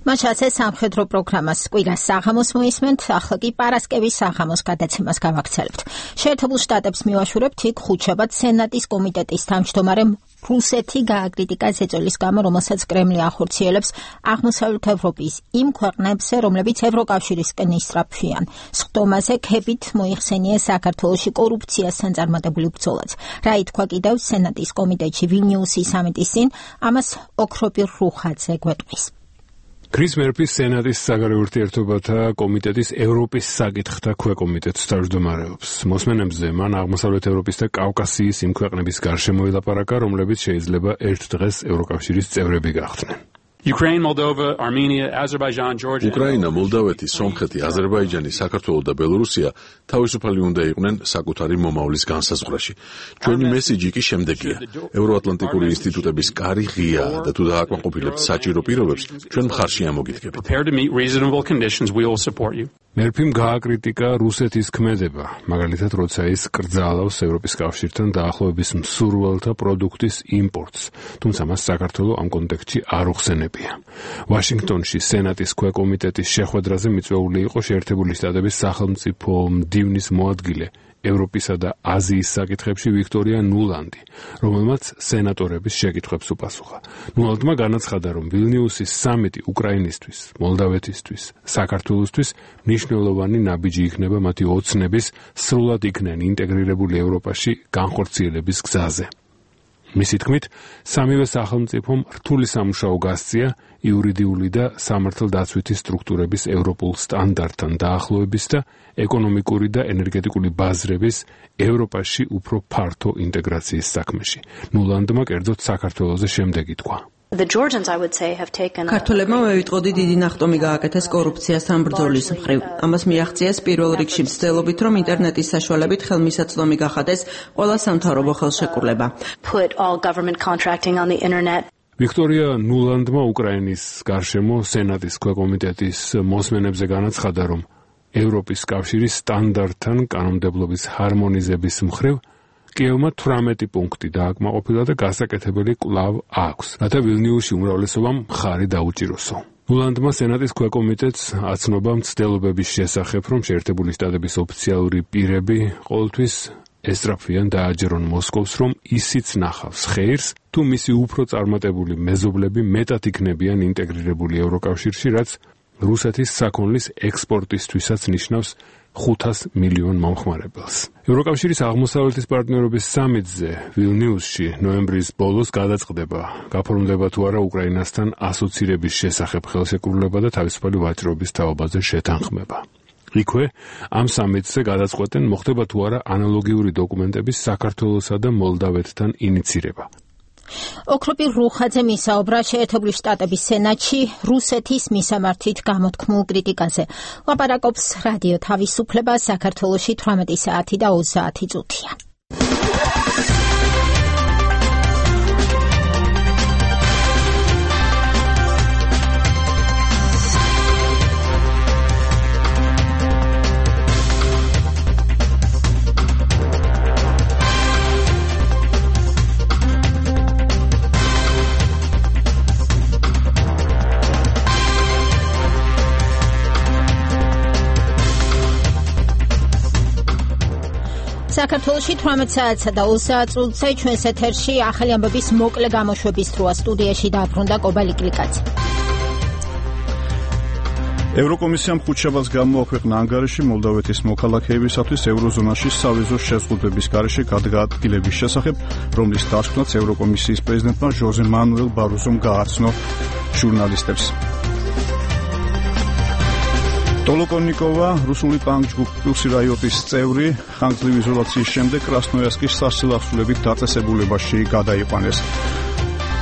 მაშასე სამხედრო პროგრამას კვირა საღამოს მოისმენთ, ახლა კი პარასკევის საღამოს გადაცემას გავაქცელებთ. შეერთებულ შტატებს მივაშურებთ იქ ხუთშაბათ სენატის კომიტეტის თავმჯდომარემ რუსეთი გააკრიტიკა ზეწოლის გამო, რომელსაც კრემლი ახორციელებს აღმოსავლეთ ევროპის იმ ქვეყნებზე, რომლებიც ევროკავშირისკენ ისწრაფვიან. სხდომაზე ქებით მოიხსენია საქართველოში კორუფციას სანწარმატებული ბრძოლაც. რა ითქვა კიდევ სენატის კომიტეტში ვილნიუსის სამიტის წინ, ამას ოქროპირ რუხაძე გვეტყვის. კრის მერფის სენატის საგარეო ურთიერთობათა კომიტეტის ევროპის საკითხთა ქვეკომიტეტს თავმჯდომარეობს. მოსმენებზე მან აღმოსავლეთ ევროპის და კავკასიის იმ ქვეყნების გარშემო ელაპარაკა, რომლებიც შეიძლება ერთ დღეს ევროკავშირის წევრები გახდნენ. Ukraine, Moldova, Armenia, Azerbaijan, Georgia. უკრაინა, მოლდავეთი, სომხეთი, აზერბაიჯანი, საქართველო და ბელორუსია თავისუფალი უნდა იყვნენ საკუთარი მომავლის განსაზღვრაში. ჩვენი მესიჯი კი შემდეგია: ევროატლანტიკური ინსტიტუტების კარი ღიაა და თუ დააკმაყოფილებთ საჭირო პირობებს, ჩვენ მხარში ამოგიდგებით. მერფიმ გააკრიტიკა რუსეთის ქმედება, მაგალითად, როცა ის კრძალავს ევროპის კავშირთან დაახლოების მსურველთა პროდუქტის იმპორტს, თუმცა მას საქართველო ამ კონტექსტში არ უხსენებია. ვაშინგტონში სენატის ქვეკომიტეტის შეხვედრაზე მიწვეული იყო შეერთებული შტატების სახელმწიფო მდივნის მოადგილე ევროპისა და აზიის საკითხებში ვიქტორია ნულანდი, რომელმაც სენატორების შეკითხვებს უპასუხა. ნულანდმა განაცხადა, რომ ვილნიუსის სამიტი უკრაინისთვის, მოლდავეთისთვის, საქართველოსთვის მნიშვნელოვანი ნაბიჯი იქნება მათი ოცნების სრულად იქნენ ინტეგრირებული ევროპაში განხორციელების გზაზე. მისი თქმით, სამივე სახელმწიფომ რთული სამუშაო გასწია იურიდიული და სამართალდაცვითი სტრუქტურების ევროპულ სტანდარტთან დაახლოების და ეკონომიკური და ენერგეტიკული ბაზრების ევროპაში უფრო ფართო ინტეგრაციის საქმეში. ნულანდმა კერძოდ საქართველოზე შემდეგი თქვა: The Georgians, I would say, have taken ქართველებმა მევიტყოდი დიდი ნახტომი გააკეთეს კორუფციასთან ბრძოლის მხრივ. ამას მიაღწიეს პირველ რიგში მცდელობით, რომ ინტერნეტის საშუალებით ხელმისაწვდომი გახადეს ყველა სამთავრობო ხელშეკრულება. Put all government contracting on the internet. ვიქტორია ნულანდმა უკრაინის გარშემო სენატის ქვეკომიტეტის მოსმენებზე განაცხადა, რომ ევროპის კავშირის სტანდარტთან კანონმდებლობის ჰარმონიზების მხრივ კიევმა თვრამეტი პუნქტი დააკმაყოფილა და გასაკეთებელი კვლავ აქვს, რათა ვილნიუსში უმრავლესობამ მხარი დაუჭიროსო. ნულანდმა სენატის ქვეკომიტეტს აცნობა მცდელობების შესახებ, რომ შეერთებული შტატების ოფიციალური პირები ყოველთვის ესწრაფვიან დააჯერონ მოსკოვს, რომ ისიც ნახავს ხეირს, თუ მისი უფრო წარმატებული მეზობლები მეტად იქნებიან ინტეგრირებული ევროკავშირში, რაც რუსეთის საქონლის ექსპორტისთვისაც ნიშნავს ხუთას მილიონ მომხმარებელს. ევროკავშირის აღმოსავლეთის პარტნიორობის სამიტზე ვილნიუსში ნოემბრის ბოლოს გადაწყდება, გაფორმდება თუ არა უკრაინასთან ასოცირების შესახებ ხელშეკრულება და თავისუფალი ვაჭრობის თაობაზე შეთანხმება. იქვე ამ სამიტზე გადაწყვეტენ, მოხდება თუ არა ანალოგიური დოკუმენტების საქართველოსა და მოლდავეთთან ინიცირება. ოქროპი რუხაძე მისაუბრა შეერთებული შტატების სენატში რუსეთის მისამართით გამოთქმულ კრიტიკაზე. ლაპარაკობს რადიო თავისუფლება საქართველოში თვრამეტი საათი და ოცდაათი წუთია. საქართველოში თვრამეტ საათსა და ოცდაათ წუთზე ჩვენს ეთერში ახალი ამბების მოკლე გამოშვების დროა. სტუდიაში დაბრუნდა კობა ლიკლიკაძე. ევროკომისიამ ხუთშაბათს გამოაქვეყნა ანგარიში მოლდავეთის მოქალაქეებისათვის ევროზონაში სავიზო შეზღუდვების გარეშე გადაადგილების შესახებ, რომლის დასკვნაც ევროკომისიის პრეზიდენტმა ჟოზე მანუელ ბაროზომ გააცნო ჟურნალისტებს. ტოლოკონიკოვა, რუსული პანკ-ჯგუფ პლუსი რაიოტის წევრი, ხანგრძლივი იზოლაციის შემდეგ კრასნოიარსკის სასილახსულებით დაწესებულებაში გადაიყვანეს.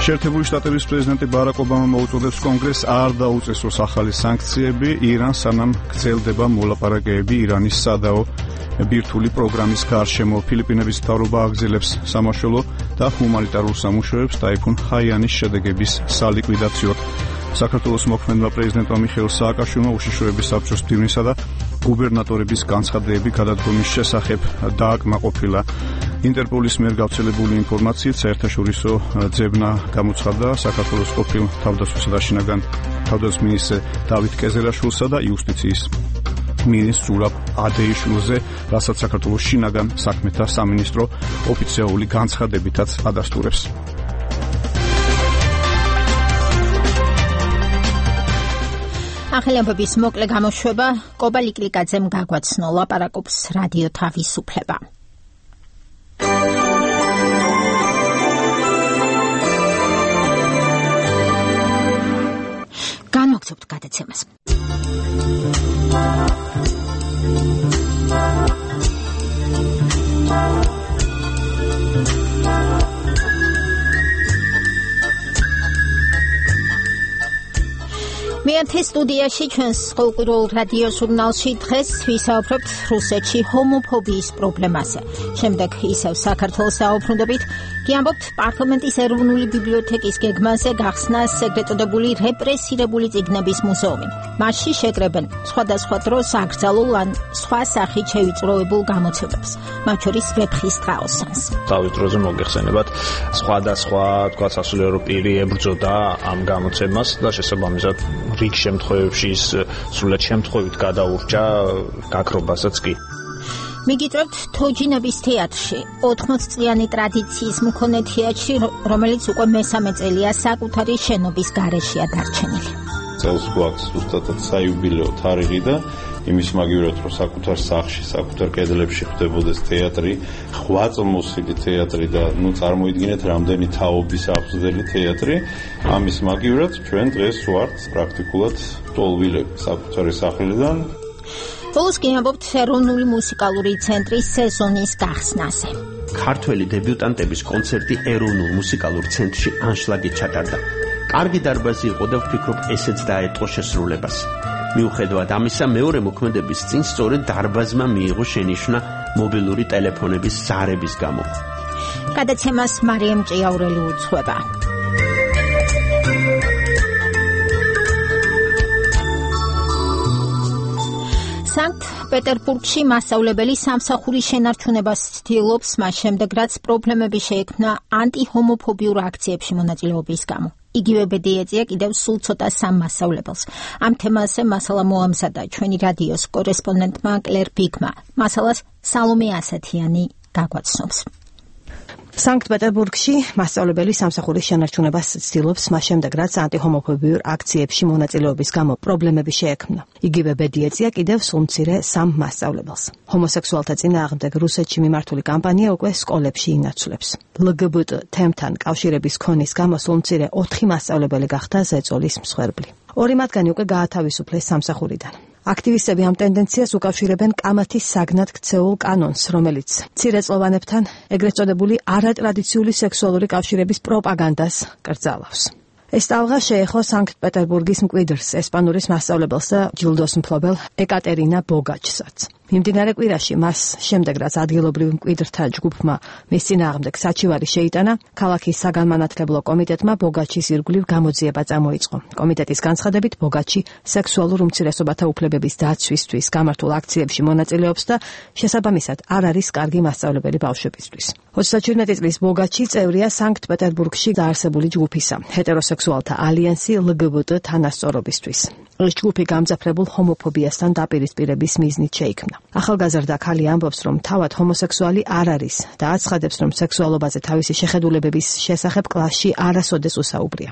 შეერთებული შტატების პრეზიდენტი ბარაკ ობამა მოუწოდებს კონგრესს არ დაუწესოს ახალი სანქციები ირანს, სანამ გრძელდება მოლაპარაკებები ირანის სადაო ბირთვული პროგრამის გარშემო. ფილიპინების მთავრობა აგრძელებს სამაშველო და ჰუმანიტარულ სამუშაოებს ტაიფუნ ჰაიანის შედეგების სალიკვიდაციოდ. საქართველოს მოქმედმა პრეზიდენტმა მიხეილ სააკაშვილმა უშიშროების საბჭოს მდივნისა და გუბერნატორების განცხადებები გადადგომის შესახებ დააკმაყოფილა. ინტერპოლის მიერ გავრცელებული ინფორმაციით საერთაშორისო ძებნა გამოცხადდა საქართველოს ყოფილ თავდაცვისა და შინაგან თავდაცვის მინისტრ დავით კეზერაშვილსა და იუსტიციის მინისტრ ზურაბ ადეიშვილზე, რასაც საქართველოს შინაგან საქმეთა სამინისტრო ოფიციალური განცხადებითაც ადასტურებს. ახალი ამბების მოკლე გამოშვება კობა ლიკლიკაძემ გაგვაცნო. ლაპარაკობს რადიო თავისუფლება. განვაგრძობთ გადაცემას. მეათე სტუდიაში ჩვენს ყოველკვირეულ რადიო ჟურნალში დღეს ვისაუბრებთ რუსეთში ჰომოფობიის პრობლემაზე. შემდეგ ისევ საქართველოს დაუბრუნდებით, გიამბობთ პარლამენტის ეროვნული ბიბლიოთეკის გეგმაზე გახსნა ეგრეთ წოდებული რეპრესირებული წიგნების მუზეუმი. მასში შეკრებენ სხვადასხვა დროს აკრძალულ ან სხვა სახით შევიწროებულ გამოცემებს, მათ შორის ვეფხის ტყაოსანს. თავის დროზე მოგეხსენებათ სხვადასხვა თქვა სასულიერო პირი ებრძოდა ამ გამოცემას და შესაბამისად რიგ შემთხვევებში სრულად შემთხვევით გადაურჩა გაქრობასაც კი. მიგიწევთ თოჯინების თეატრში, ოთხმოცწლიანი ტრადიციის მქონე თეატრში, რომელიც უკვე მესამე წელია საკუთარი შენობის გარეშეა დარჩენილი. წელს გვაქვს ზუსტად საიუბილეო თარიღი და იმის მაგივრად რომ საკუთარ სახლში, საკუთარ კედლებში ხდებოდეს თეატრი, ხვაწლმოსილი თეატრი და ნუ წარმოიდგინეთ რამდენი თაობის აფსდელი თეატრი, ამის მაგივრად ჩვენ დღეს ვართ პრაქტიკულად ტოლვილები საკუთარი სახლიდან. ბოლოს გიამბობთ ეროვნული მუსიკალური ცენტრის სეზონის გახსნაზე. ქართველი დებიუტანტების კონცერტი ეროვნულ მუსიკალურ ცენტრში ანშლაგით ჩატარდა. კარგი დარბაზი იყო და ვფიქრობ, ესეც დაეტყო შესრულებას. მიუხედავად ამისა, მეორე მოქმედების წინ სწორედ დარბაზმა მიიღო შენიშვნა მობილური ტელეფონების ზარების გამო. გადაცემას მარიამ ჭიაურელი უძღვება. სანქტ-პეტერბურგში მასწავლებელი სამსახურის შენარჩუნებას ცდილობს, მას შემდეგ რაც პრობლემები შეექმნა ანტიჰომოფობიურ აქციებში მონაწილეობის გამო. იგივე ბედიეწია კიდევ სულ ცოტა სამ მასწავლებელს. ამ თემაზე მასალა მოამზადა ჩვენი რადიოს კორესპონდენტმა კლერ ბიგმა. მასალას სალომე ასათიანი გაგვაცნობს. სანქტ-პეტერბურგში მასწავლებელი სამსახურის შენარჩუნებას ცდილობს, მას შემდეგ რაც ანტიჰომოფობიურ აქციებში მონაწილეობის გამო პრობლემები შეექმნა. იგივე ბედი ეწია კიდევ სულ მცირე სამ მასწავლებელს. ჰომოსექსუალთა წინააღმდეგ რუსეთში მიმართული კამპანია უკვე სკოლებში ინაცვლებს. ელ გი ბი ტი თემთან კავშირების ქონის გამო სულ მცირე ოთხი მასწავლებელი გახდა ზეწოლის მსხვერპლი. ორი მათგანი უკვე გაათავისუფლეს სამსახურიდან. აქტივისტები ამ ტენდენციას უკავშირებენ კამათის საგნად ქცეულ კანონს, რომელიც მცირეწლოვანებთან ეგრეთ წოდებული არატრადიციული სექსუალური კავშირების პროპაგანდას კრძალავს. ეს ტალღა შეეხო სანქტ-პეტერბურგის მკვიდრს, ესპანურის მასწავლებელს და ჯილდოს მფლობელ ეკატერინა ბოგაჩსაც. მიმდინარე კვირაში მას შემდეგ რაც ადგილობრივ მკვიდრთა ჯგუფმა მის წინააღმდეგ საჩივარი შეიტანა, ქალაქის საგანმანათლებლო კომიტეტმა ბოგაჩის ირგვლივ გამოძიება წამოიწყო. კომიტეტის განცხადებით ბოგაჩი სექსუალურ უმცირესობათა უფლებების დაცვისთვის გამართულ აქციებში მონაწილეობს და შესაბამისად არ არის კარგი მასწავლებელი ბავშვებისთვის. ოცდაჩვიდმეტი წლის ბოგაჩი წევრია სანქტ-პეტერბურგში დაარსებული ჯგუფისა, ჰეტეროსექსუალთა ალიანსი ელ გი ბი ტი თანასწორობისთვის. ეს ჯგუფი გამძაფრებულ ჰომოფობიასთან დაპირისპირების მიზნით შეიქმნა. ახალგაზრდა ქალი ამბობს, რომ თავად ჰომოსექსუალი არ არის და აცხადებს, რომ სექსუალობაზე თავისი შეხედულებების შესახებ კლასში არასოდეს უსაუბრია.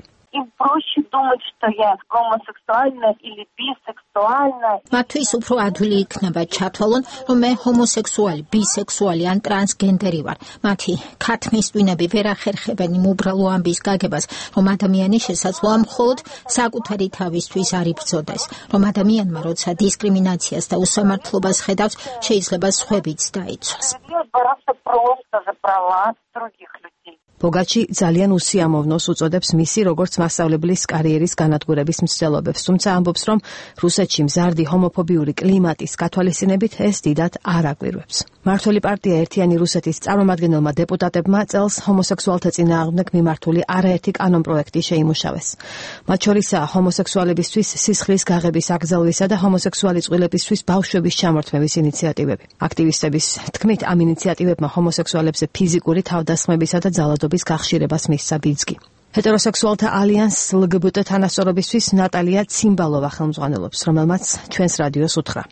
проще думать, что я гомосексуальна или бисексуальна. მათთვის უფრო ადვილი იქნება ჩათვალონ, რომ მე ჰომოსექსუალი, ბისექსუალი ან ტრანსგენდერი ვარ. მათი ქათმის ტვინები ვერ ახერხებენ იმ უბრალო ამბის გაგებას, რომ ადამიანი შესაძლოა მხოლოდ საკუთარი თავისთვის არ იბრძოდეს, რომ ადამიანმა როცა დისკრიმინაციას და უსამართლობას ხედავს, შეიძლება სხვებიც დაიცვას. ბოგაჩი ძალიან უსიამოვნოს უწოდებს მისი როგორც მასწავლებლის კარიერის განადგურების მცდელობებს, თუმცა ამბობს, რომ რუსეთში მზარდი ჰომოფობიური კლიმატის გათვალისწინებით ეს დიდად არ აკვირვებს. მმართველი პარტია ერთიანი რუსეთის წარმომადგენელმა დეპუტატებმა წელს ჰომოსექსუალთა წინააღმდეგ მიმართული არაერთი კანონპროექტი შეიმუშავეს. მათ შორისაა ჰომოსექსუალებისთვის სისხლის გაღების აკრძალვისა და ჰომოსექსუალი წყვილებისთვის ბავშვების ჩამორთმევის ინიციატივები. აქტივისტების თქმით, ამ ინიციატივებმა ჰომოსექსუალებზე ფიზიკური თავდასხმებისა და ძალადობის გახშირებას მისცა ბიძგი. ჰეტეროსექსუალთა ალიანს ელ გი ბი ტი თანასწორობისთვის ნატალია ციმბალოვა ხელმძღვანელობს, რომელმაც ჩვენს რადიოს უთხრა.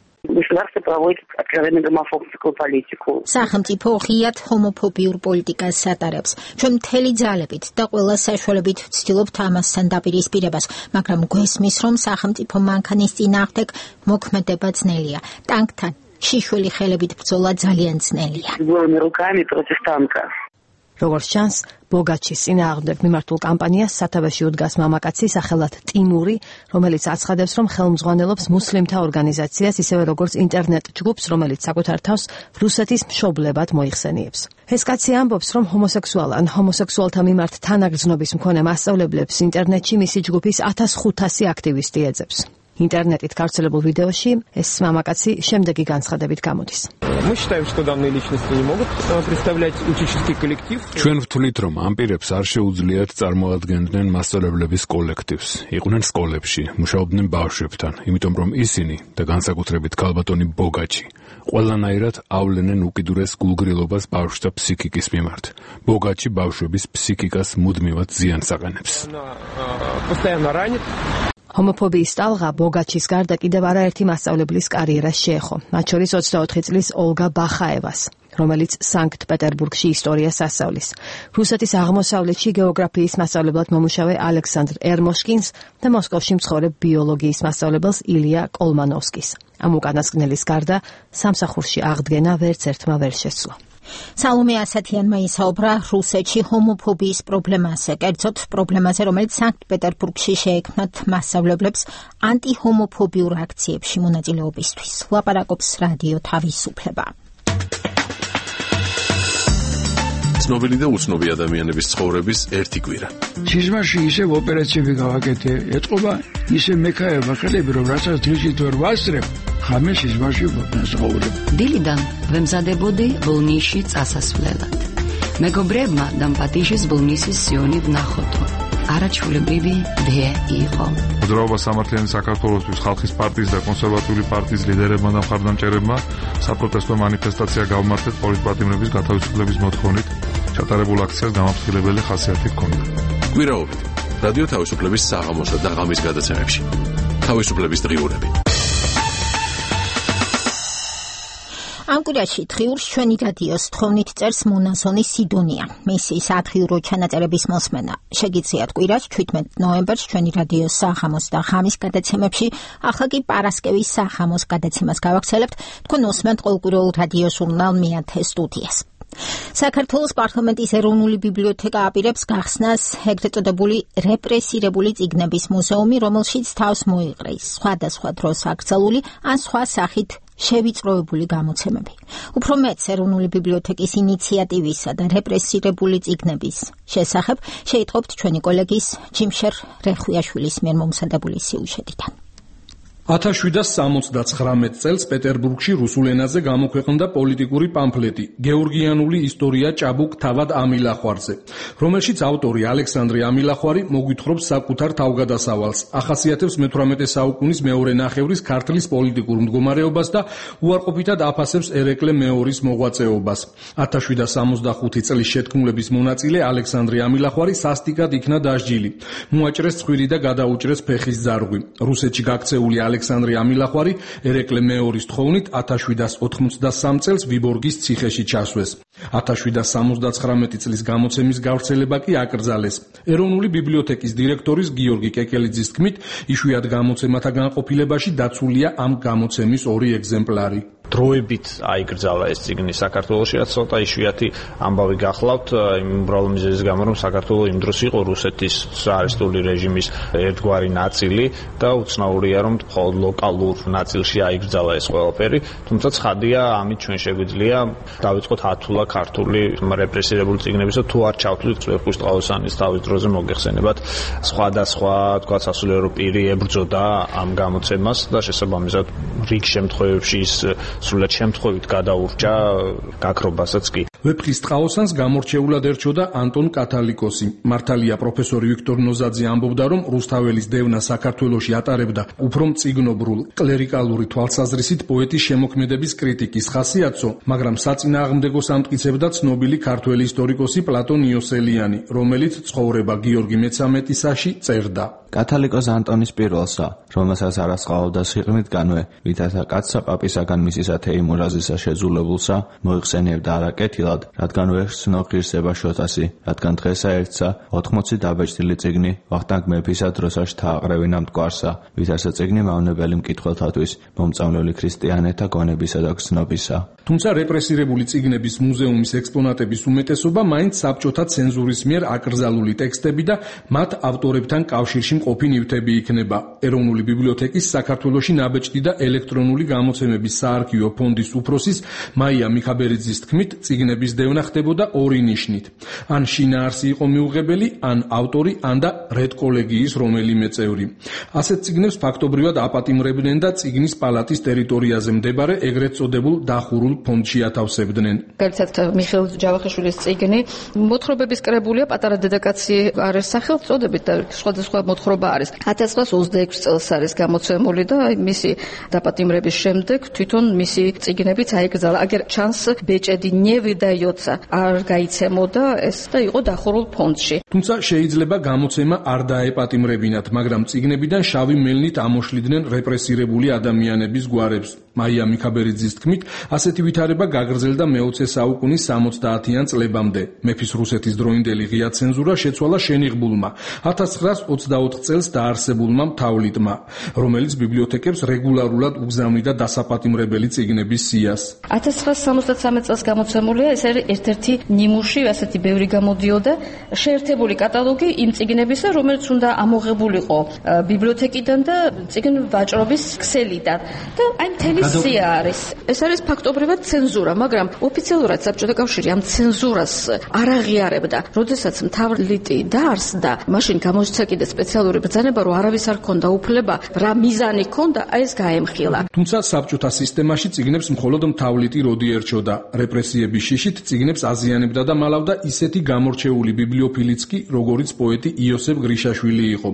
სახელმწიფო ღიად ჰომოფობიურ პოლიტიკას ატარებს. ჩვენ მთელი ძალებით და ყველა საშუალებით ვცდილობთ ამასთან დაპირისპირებას, მაგრამ გვესმის, რომ სახელმწიფო მანქანის წინააღმდეგ მოქმედება ძნელია. ტანკთან შიშველი ხელებით ბრძოლა ძალიან ძნელია. როგორც ჩანს, ბოგაჩის წინააღმდეგ მიმართულ კამპანიას სათავეში უდგას მამაკაცი სახელად ტიმური, რომელიც აცხადებს, რომ ხელმძღვანელობს მუსლიმთა ორგანიზაციას, ისევე როგორც ინტერნეტ ჯგუფს, რომელიც საკუთარ თავს რუსეთის მშობლებად მოიხსენიებს. ეს კაცი ამბობს, რომ ჰომოსექსუალ ან ჰომოსექსუალთა მიმართ თანაგრძნობის მქონე მასწავლებელებს ინტერნეტში მისი ჯგუფის ათას ხუთასი აქტივისტი ეძებს. ინტერნეტით გავრცელებულ ვიდეოში ეს მამაკაცი შემდეგი განცხადებით გამოდის. ჩვენ ვთვლით, რომ ამ პირებს არ შეუძლიათ წარმოადგენდნენ მასწავლებლების კოლექტივს. იყვნენ სკოლებში, მუშაობდნენ ბავშვებთან, იმიტომ რომ ისინი და განსაკუთრებით ქალბატონი ბოგაჩი ყველანაირად ავლენენ უკიდურეს გულგრილობას ბავშვთა ფსიქიკის მიმართ. ბოგაჩი ბავშვების ფსიქიკას მუდმივად ზიანს აყენებს. ჰომოფობიის ტალღა ბოგაჩის გარდა კიდევ არაერთი მასწავლებლის კარიერას შეეხო, მათ შორის ოცდაოთხი წლის ოლგა ბახაევას, რომელიც სანქტ-პეტერბურგში ისტორიას ასწავლის. რუსეთის აღმოსავლეთში გეოგრაფიის მასწავლებლად მომუშავე ალექსანდრ ერმოშკინს და მოსკოვში მცხოვრებ ბიოლოგიის მასწავლებელს ილია კოლმანოვსკის. ამ უკანასკნელის გარდა სამსახურში აღდგენა ვერც ერთმა ვერ შესძლო. სალომე ასათიანმა ისაუბრა რუსეთში ჰომოფობიის პრობლემაზე, კერძოდ პრობლემაზე, რომელიც სანქტ-პეტერბურგში შეექმნათ მასწავლებლებს ანტიჰომოფობიურ აქციებში მონაწილეობისთვის. ლაპარაკობს რადიო თავისუფლება. ცნობილი და უცნობი ადამიანების ცხოვრების ერთი კვირა. სიზმარში ისევ ოპერაციები გავაკეთე, ეთყობა ისე მექაება ხელები, რომ რასაც დღისით ვერ ვასწრებ, ხამე სიზმარში ვცხოვრებ. დილიდან ვემზადებოდი ბოლნისში წასასვლელად. მეგობრებმა დამპატიჟეს ბოლნისის სიონი ვნახოთო. არაჩვეულებრივი დე იყო. მოძრაობა სამართლიანი საქართველოსთვის ხალხის პარტიის და კონსერვატიული პარტიის ლიდერებმა და მხარდამჭერებმა საპროტესტო მანიფესტაცია გავმართეთ პოლიტპატიმრების გათავისუფლების მოთხოვნით. ჩატარებულ აქციას გამაფრთხილებელი ხასიათი ჰქონდა. კვირაობით რადიო თავისუფლების საღამოსა და ღამის გადაცემებში. თავისუფლების დღიურები. ამ კვირაში დღიურს ჩვენი რადიოს თხოვნით წერს მონასონი სიდონია. მისი სათხიურო ჩანაწერების მოსმენა შეგიძლიათ კვირას შვიდმეტ ნოემბერს ჩვენი რადიოს საღამოს და ღამის გადაცემებში, ახლა კი პარასკევის საღამოს გადაცემას გავაგრძელებთ. თქვენ უსმენთ ყოველკვირეულ რადიო ჟურნალ მეათე სტუდიას. საქართველოს პარლამენტის ეროვნული ბიბლიოთეკა აპირებს გახსნას ეგრეთ წოდებული რეპრესირებული წიგნების მუზეუმი, რომელშიც თავს მოიყრეს სხვადასხვა დროს აკრძალული ან სხვა სახით შევიწროებული გამოცემები. უფრო მეც ეროვნული ბიბლიოთეკის ინიციატივისა და რეპრესირებული წიგნების შესახებ შეიტყობთ ჩვენი კოლეგის ჯიმშერ რეხვიაშვილის მიერ მომზადებული სიუჟეტიდან. ათას შვიდას სამოცდაცხრამეტ წელს პეტერბურგში რუსულ ენაზე გამოქვეყნდა პოლიტიკური პამფლეტი გეორგიანული ისტორია ჭაბუკ თავად ამილახვარზე, რომელშიც ავტორი ალექსანდრე ამილახვარი მოგვითხრობს საკუთარ თავგადასავალს, ახასიათებს მეთვრამეტე საუკუნის მეორე ნახევრის ქართლის პოლიტიკურ მდგომარეობას და უარყოფითად აფასებს ერეკლე მეორის მოღვაწეობას. ათას შვიდას სამოცდახუთი წლის შეთქმულების მონაწილე ალექსანდრე ამილახვარი სასტიკად იქნა დასჯილი. მოაჭრეს ცხვირი და გადაუჭრეს ფეხის ძარღვი. რუსეთში გაქცეული ალექსანდრე ამილახვარი ერეკლე მეორის თხოვნით ათას შვიდას ოთხმოცდასამ წელს ვიბორგის ციხეში ჩასვეს. ათას შვიდას სამოცდაცხრამეტი წლის გამოცემის გავრცელება კი აკრძალეს. ეროვნული ბიბლიოთეკის დირექტორის გიორგი კეკელიძის თქმით, იშვიათ გამოცემათა განყოფილებაში დაცულია ამ გამოცემის ორი ეგზემპლარი. დროებით აიკრძალა ეს წიგნი საქართველოში, რაც ცოტა იშვიათი ამბავი გახლავთ, იმ უბრალო მიზეზის გამო, რომ საქართველო იმ დროს იყო რუსეთის საარესტული რეჟიმის ერთგვარი ნაწილი და უცნაურია, რომ მხოლოდ ლოკალურ ნაწილში აიკრძალა ეს ყველაფერი, თუმცა ცხადია, ამით ჩვენ შეგვიძლია დავიწყოთ ათულა ქართული რეპრესირებული წიგნების და თუ არ ჩავთვლით წვერხუს ტყავოსანის თავის დროზე მოგეხსენებათ სხვადასხვა, თქვა სასულიერო პირი ებრძოდა ამ გამოცემას და შესაბამისად რიგ შემთხვევებში ის სრულად შემთხვევით გადაურჩა გაქრობასაც კი. ვეფხის ტყაოსანს გამორჩეულად ერჩოდა ანტონ კათალიკოსი. მართალია პროფესორი ვიქტორ ნოზაძე ამბობდა, რომ რუსთაველის დევნა საქართველოში ატარებდა უფრო მწიგნობრულ, კლერიკალური თვალსაზრისით პოეტის შემოქმედების კრიტიკის ხასიათსო, მაგრამ საწინააღმდეგოს ამტკიცებდა ცნობილი ქართველი ისტორიკოსი პლატონ იოსელიანი, რომელიც ცხოვრება გიორგი მეცამეტისაში წერდა. კათალიკოს ანტონის პირველსა, რომელსაც არ ასყავდა სიყრმით განვე, ვითარცა კაცსა პაპისაგან მისისა თეიმურაზისა შეძულებულსა, მოიხსენიებდა არაკეთილად, რადგან ვერ ცნო ღირსება შოთასი, რადგან დღესა ერთსა, ოთხმოცი დაბეჭდილი წიგნი, ვახტანგ მეფისა დროსაში თააყრევინა მტკვარსა, ვითარცა წიგნი მავნებელი მკითხველთათვის, მომწამლელი ქრისტიანეთა გონებისა და გზნობისა. თუმცა რეპრესირებული წიგნების მუზეუმის ექსპონატების უმეტესობა მაინც საბჭოთა ცენზურის მიერ აკრძალული ტექსტები და მათ ავტორებთან კავშირში მყოფი ნივთები იქნება. ეროვნული ბიბლიოთეკის საქართველოში ნაბეჭდი და ელექტრონული გამოცემების საარქივო ფონდის უფროსის მაია მიხაბერიძის თქმით, წიგნების დევნა ხდებოდა ორი ნიშნით. ან შინაარსი იყო მიუღებელი, ან ავტორი, ან და რედკოლეგიის რომელიმე წევრი. ასეთ წიგნებს ფაქტობრივად აპატიმრებდნენ და წიგნის პალატის ტერიტორიაზე მდებარე ეგრეთ წოდებულ დახურულ ფონდში ათავსებდნენ. Გარცად მიხეილ ჯავახიშვილის წიგნი მოთხრობების კრებულია პატარა დედაკაცი არის სახელწოდებით და სხვადასხვა მოთხრობა არის. ათას ცხრაას ოცდაექვსი წელს არის გამოცემული და მისი დაპატიმრების შემდეგ თვითონ მისი წიგნებიც აიკრძალა. აგერ ჩანს ბეჭედი ნევი და იოცა არ გაიცემოდა ეს და იყო დახურულ ფონდში. თუმცა შეიძლება გამოცემა არ დაეპატიმრებინათ, მაგრამ წიგნებიდან შავი მელნით ამოშლიდნენ რეპრესირებული ადამიანების გვარებს. მაია მიხაბერიძის თქმით, ასეთი ვითარება გაგრძელდა მეოცე საუკუნის სამოცდაათიან წლებამდე. მეფის რუსეთის დროინდელი ღია ცენზურა შეცვალა შენიღბულმა ათას ცხრაას ოცდაოთხ წელს დაარსებულმა მთავლიტმა, რომელიც ბიბლიოთეკებს რეგულარულად უგზავნიდა დასაპატიმრებელი წიგნების სიას. ათას ცხრაას სამოცდათსამეტ წელს გამოცემულია, ეს არის ერთ-ერთი ნიმუში, ასეთი ბევრი გამოდიოდა, შეერთებული კატალოგი იმ წიგნებისა, რომელიც უნდა ამოღებულიყო ბიბლიოთეკიდან და წიგნ ვაჭრობის ქსელიდან. და აი მთელი რეპრესია არის. ეს არის ფაქტობრივად ცენზურა, მაგრამ ოფიციალურად საბჭოთა კავშირი ამ ცენზურას არ აღიარებდა. როდესაც მთავრლიტი დაარსდა, მაშინ გამოიცა კიდე სპეციალური ბრძანება, რომ არავის არ ქონდა უფლება, რა მიზანი ქონდა, ეს გაემხილა. თუმცა საბჭოთა სისტემაში წიგნებს მხოლოდ მთავრლიტი როდი ერჩოდა. რეპრესიების შიშით წიგნებს აზიანებდა და მალავდა ისეთი გამორჩეული ბიბლიოფილიც კი, როგორიც პოეტი იოსებ გრიშაშვილი იყო.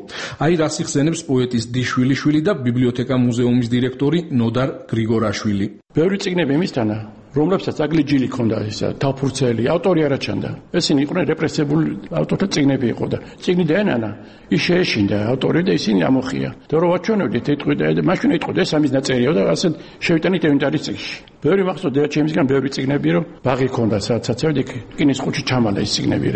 აი რას იხსენებს პოეტის დიშვილიშვილი და ბიბლიოთეკა მუზეუმის დირექტორი ნოდარ გრიგორაშვილი. ბევრი წიგნები იმისთანა, რომლებსაც აგლიჯილი ქონდა ისა დაფურცელი, ავტორი არ აჩანდა. ესენი იყვნენ რეპრესებული ავტორთა წიგნები იყო და წიგნი დაენანა, ის შეეშინდა ავტორი და ისინი ამოხია. და რო ვაჩვენებდით ეთყვიდა და მაშინ ეთყოდა ეს ამის ნაწერიო და ასე შევიტანით ინვენტარის წიგნში. ბევრი მახსოვდა ჩემისგან ბევრი წიგნები რომ ბაღი ქონდა საცაცევდი კინის ხუჩი ჩამალა ის წიგნები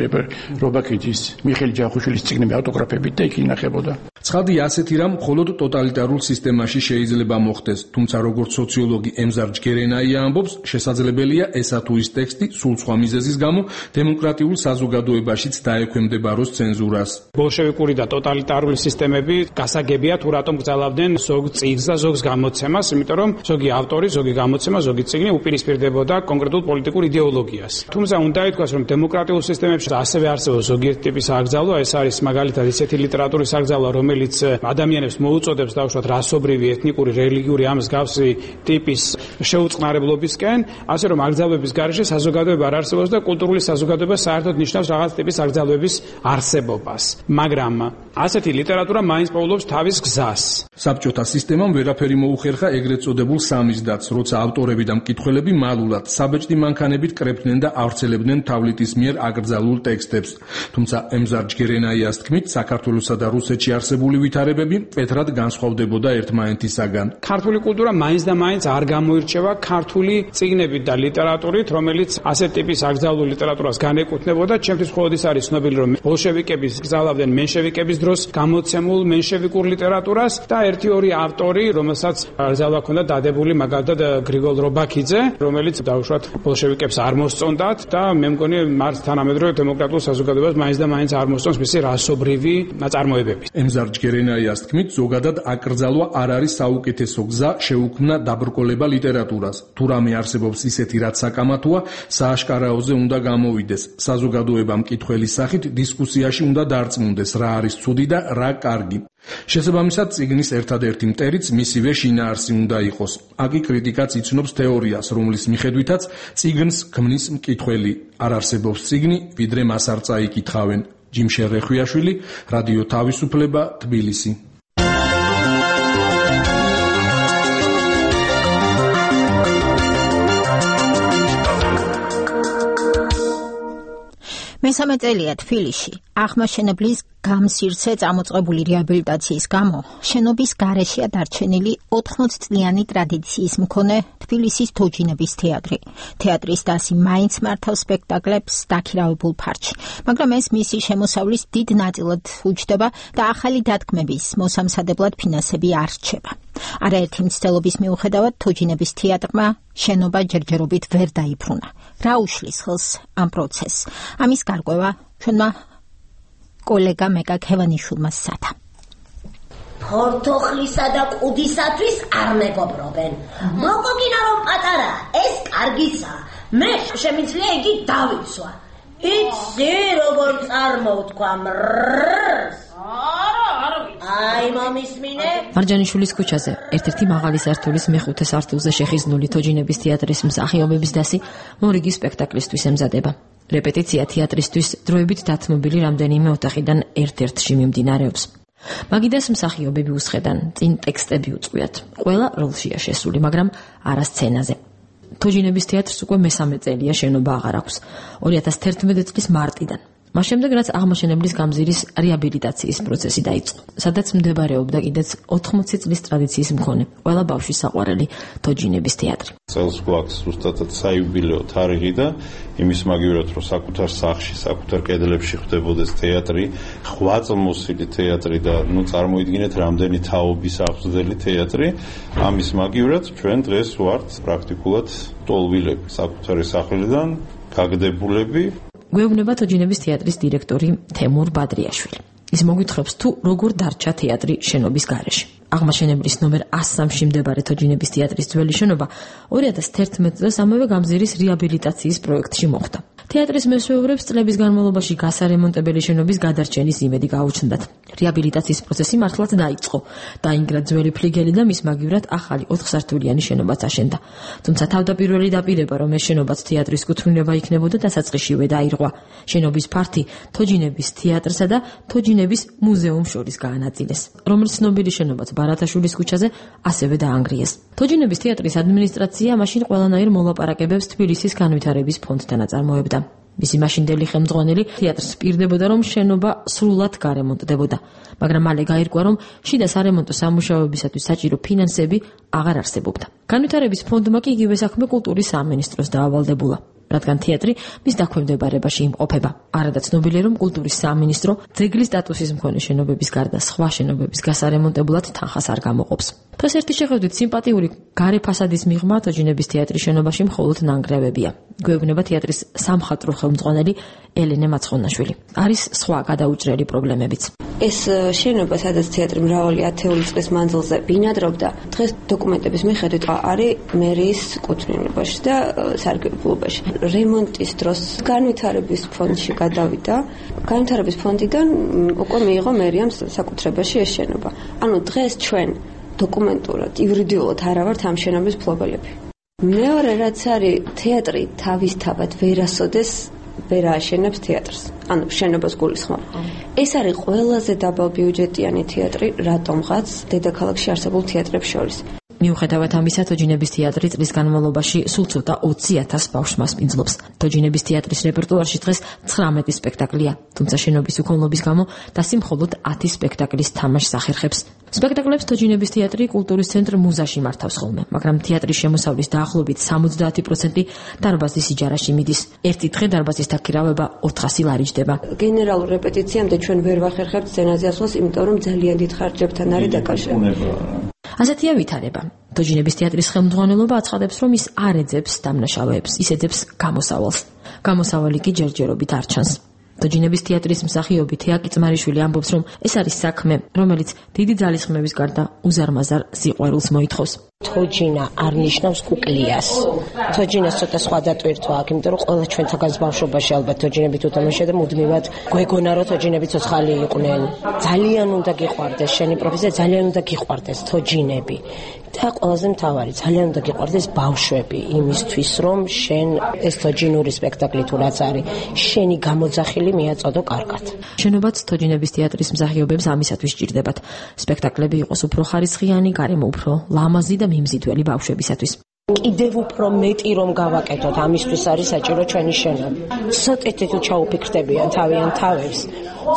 რობაქიძის, მიხეილ ჯახუშვილის წიგნები ავტოგრაფებით და იქ ინახებოდა. ცხადი ასეთი რამ მხოლოდ ტოტალიტარულ სისტემაში შეიძლება მოხდეს, თუმცა როგორც სოციოლოგი ემზარ ჯგერენაია ამბობს, შესაძლებელია ესა თუ ის ტექსტი სულ სხვა მიზეზის გამო დემოკრატიულ საზოგადოებაშიც დაექვემდებაროს ცენზურას. ბოლშევიკური და ტოტალიტარული სისტემები გასაგებია თუ რატომ გძალავდნენ ზოგ წიგნს და ზოგს გამოცემას, იმიტომ რომ ზოგი ავტორი, ზოგი გამოცემა, ზოგი წიგნი უპირისპირდებოდა კონკრეტულ პოლიტიკურ იდეოლოგიას. თუმცა უნდა ითქვას, რომ დემოკრატიულ სისტემებში ასევე არსებობს ზოგიერთი ტიპის აკრძალვა, ეს არის მაგალითად ისეთი ლიტერატურის აკრძალვა, რომელიც ადამიანებს მოუწოდებს დაუშვათ რასობრივი, ეთნიკური, რელიგიური ამ მსგავსი ტიპის შეუწყნარებლობისკენ, ასე რომ აკრძალვების გარეშე საზოგადოება არ არსებობს და კულტურული საზოგადოება საერთოდ ნიშნავს რაღაც ტიპის აკრძალვების არსებობას. მაგრამ ასეთი ლიტერატურა მაინც პოულობს თავის გზას. საბჭოთა სისტემამ ვერაფერი მოუხერხა ეგრეთ წოდებულ სამიზდაც, როცა ავტორები და მკითხველები მალულად საბეჭდი მანქანებით კრებდნენ და ავრცელებდნენ თავლიტის მიერ აკრძალულ ტექსტებს. თუმცა ემზარ ჯგერენაიას თქმით, საქართველოსა და რუსეთში არსებული ვითარებები მკვეთრად განსხვავდებოდა ერთმანეთისაგან. ქართული კულტურა მაინც და მაინც არ გამოირჩევა ქართული წიგნებით და ლიტერატურით, რომელიც ასეთ ტიპის აკრძალულ ლიტერატურას განეკუთვნებოდა. ჩემთვის მხოლოდ ის არის ცნობილი, რომ ბოლშევიკები გზალავდნენ მენშევიკების დროს გამოცემულ მენშევიკურ ლიტერატურას და ერთი ორი ავტორი, რომელსაც აკრძალვა ჰქონდა დადებული, მაგალითად გრიგოლ რობაქიძე, რომელიც დაუშვათ ბოლშევიკებს არ მოსწონდათ და მე მგონი მართ თანამედროვე დემოკრატიულ საზოგადოებას მაინც და მაინც არ მოსწონს მისი რასობრივი ნაწარმოებები. ემზარ ჯგერენაიას თქმით, ზოგადად აკრძალვა არ არის საუკეთესო გზა შეუქმნა დაბრკოლება ლიტერატურას. თუ რამე არსებობს ისეთი, რაც საკამათოა, სააშკარაოზე უნდა გამოვიდეს. საზოგადოება მკითხველის სახით დისკუსიაში უნდა დარწმუნდეს, რა არის ცუდი და რა კარგი. შესაბამისად, წიგნის ერთადერთი მტერიც მისივე შინაარსი უნდა იყოს. აკი კრიტიკაც იცნობს თეორიას, რომლის მიხედვითაც წიგნს ქმნის მკითხველი. არ არსებობს წიგნი, ვიდრე მას არ წაიკითხავენ. ჯიმშე რეხვიაშვილი, რადიო თავისუფლება, თბილისი. მესამე წელია თბილისში აღმაშენებლის გამსირცე წამოწყებული რეაბილიტაციის გამო შენობის გარეშეა დარჩენილი ოთხმოცი წლიანი ტრადიციის მქონე თბილისის თოჯინების თეატრი. თეატრის დასი მაინც მართავს სპექტაკლებს დაქირავებულ ფარჩში, მაგრამ ეს მისი შემოსავლის დიდ ნაწილად უჯდება და ახალი დათქმების მოსამზადებლად ფინანსები არ რჩება. არაერთი მცდელობის მიუხედავად თოჯინების თეატრმა შენობა ჯერჯერობით ვერ დაიბრუნა. რა უშლის ხელს ამ პროცესს? ამის გარკვევა ჩვენმა კოლეგა მეკა ქევანიშვილმა სცადა. ფორთოხლისა და ყუდისათვის არ მეგობრობენ. მოგოგინა რომ პატარა, ეს კარგიცა. მე შემიძლია იგი დავიცვა. იცი როგორ წარმოვთქვა მრrrrს? არა, არა. აი მომისმინე. მარჯანიშვილის ქუჩაზე, ერთ-ერთი მაღალი სართულის მეხუთე სართულზე შეხიზნული თოჯინების თეატრის მსახიობების დასი მორიგი სპექტაკლისთვის ემზადება. რეპეტიცია თეატრისთვის დროებით დათმობილი რამდენიმე ოთახიდან ერთ-ერთში მიმდინარეობს. მაგიდას მსახიობები უსხედან, წინ ტექსტები უწყვიათ. ყველა როლშია შესული, მაგრამ არა სცენაზე. თოჯინების თეატრს უკვე მესამე წელია შენობა აღარ აქვს. ორი ათას თერთმეტი წლის მარტიდან. მას შემდეგ რაც აღმაშენებლის გამზირის რეაბილიტაციის პროცესი დაიწყო, სადაც მდებარეობდა კიდეც ოთხმოცი წლის ტრადიციის მქონე ყველა ბავშვის საყვარელი თოჯინების თეატრი. წელს გვაქვს ზუსტად საიუბილეო თარიღი და იმის მაგივრად რომ საკუთარ სახლში, საკუთარ კედლებში ხდებოდეს თეატრი, ხვაწლმოსილი თეატრი და ნუ წარმოიდგინეთ რამდენი თაობის აღზრდელი თეატრი, ამის მაგივრად ჩვენ დღეს ვართ პრაქტიკულად ტოლვილები საკუთარი სახლიდან გაგდებულები. გვეუბნება თოჯინების თეატრის დირექტორი თემურ ბადრიაშვილი. ის მოგვითხრობს თუ როგორ დარჩა თეატრი შენობის გარეშე. აღმაშენებლის ნომერ ას სამში მდებარე თოჯინების თეატრის ძველი შენობა ორი ათას თერთმეტ წელს ამავე გამზირის რეაბილიტაციის პროექტში მოხვდა. თეატრის მესვეურებს წლების განმავლობაში გასარემონტებელი შენობის გადარჩენის იმედი გაუჩნდათ. რეაბილიტაციის პროცესი მართლაც დაიწყო. დაინგრა ძველი ფლიგელი და მის მაგივრად ახალი ოთხსართულიანი შენობაც აშენდა. თუმცა თავდაპირველი დაპირება, რომ ეს შენობაც თეატრის კუთვნილება იქნებოდა, დასაწყისშივე დაირღვა. შენობის ფართი თოჯინების თეატრსა და თოჯინების მუზეუმს შორის გაანაწილეს, რომელიც ცნობილი შენობაც ბარათაშვილის ქუჩაზე ასევე დაანგრიეს. თოჯინების თეატრის ადმინისტრაცია მაშინ ყველანაირ მოლაპარაკებებს თბილისის განვითარების ფონდთან აწარმოებდა. მისი მაშინდელი ხელმძღვანელი თეატრს პირდებოდა, რომ შენობა სრულად გარემონტდებოდა, მაგრამ მალე გაირკვა, რომ შიდა სარემონტო სამუშაოებისათვის საჭირო ფინანსები აღარ არსებობდა. განვითარების ფონდმა კი იგივე საქმე კულტურის სამინისტროს დაავალდებულა, რადგან თეატრი მის დაქვემდებარებაში იმყოფება. არადა ცნობილია, რომ კულტურის სამინისტრო ძეგლის სტატუსის მქონე შენობების გარდა სხვა შენობების გასარემონტებლად თანხას არ გამოყოფს. დღეს ერთი შეხედვით სიმპათიური გარე ფასადის მიღმა თოჯინების თეატრის შენობაში მხოლოდ ნანგრევებია. გვეუბნება თეატრის სამხატვრო ხელმძღვანელი ელენე მაცხონაშვილი. არის სხვა გადაუჭრელი პრობლემებიც. ეს შენობა, სადაც თეატრი მრავალი ათეული წლის მანძილზე ბინადრობდა, დღეს დოკუმენტების მიხედვით არის მერიის კუთვნილებაში და სარგებლობაში. რემონტის დროს განვითარების ფონდში გადავიდა. განვითარების ფონდიდან უკვე მიიღო მერიამ საკუთრებაში ეს შენობა. ანუ დღეს ჩვენ დოკუმენტურად, იურიდიულად არ ვართ ამ შენობის მფლობელები. მეორე რაც არის, თეატრი თავისთავად ვერასოდეს ვერ ააშენებს თეატრს. ანუ შენობას გულისხმობ. ეს არის ყველაზე დაბალბიუჯეტიანი თეატრი, რატომღაც დედაქალაქში არსებულ თეატრებს შორის. მიუხედავად ამისა, თოჯინების თეატრი წლის განმავლობაში სულ ცოტა ოცი ათას ბავშვს მასპინძლობს. თოჯინების თეატრის რეპერტუარში დღეს ცხრამეტი სპექტაკლია, თუმცა შენობის უქონლობის გამო დასი მხოლოდ ათი სპექტაკლის თამაშს ახერხებს. სპექტაკლებს თოჯინების თეატრი კულტურის ცენტრ მუზაში მართავს ხოლმე, მაგრამ თეატრის შემოსავლის დაახლოებით სამოცდაათი პროცენტი დარბაზის იჯარაში მიდის. ერთი დღე დარბაზის დაქირავება ოთხასი ლარი ჯდება. გენერალურ რეპეტიციამდე ჩვენ ვერ ვახერხებთ სცენაზე ასვლას, იმიტომ რომ ძალიან დიდ ხარჯებთან არის დაკავშირებული. ასეთია ვითარება. თოჯინების თეატრის ხელმძღვანელობა აცხადებს, რომ ის არ ეძებს დამნაშავეებს, ის ეძებს გამოსავალს. გამოსავალი კი ჯერჯერობით არ ჩანს. თოჯინების თეატრის მსახიობი თეა კიწმარიშვილი ამბობს, რომ ეს არის საქმე, რომელიც დიდი ძალისხმევის გარდა უზარმაზარ სიყვარულს მოითხოვს. თოჯინა არ ნიშნავს კუკლიას. თოჯინას ცოტა სხვა დატვირთვა აქვს, იმიტომ რომ ყველა ჩვენთაგანს ბავშვობაში ალბათ თოჯინებით უთამაშია და მუდმივად გვეგონა რომ თოჯინები ცოცხალი იყვნენ. ძალიან უნდა გიყვარდეს შენი პროფესია, ძალიან უნდა გიყვარდეს თოჯინები. და ყველაზე მთავარი, ძალიან უნდა გიყვარდეს ბავშვები იმისთვის, რომ შენ ეს თოჯინური სპექტაკლი თუ რაც არის, შენი გამოძახილი მიაწოდო კარგად. შენობაც თოჯინების თეატრის მსახიობებს ამისათვის სჭირდებათ. სპექტაკლები იყოს უფრო ხარისხიანი, გარემო უფრო ლამაზი და მიმზიდველი ბავშვებისათვის. კიდევ უფრო მეტი რომ გავაკეთოთ, ამისთვის არის საჭირო ჩვენი შენობა. ცოტათი თუ ჩაუფიქრდებიან თავიანთ თავებს,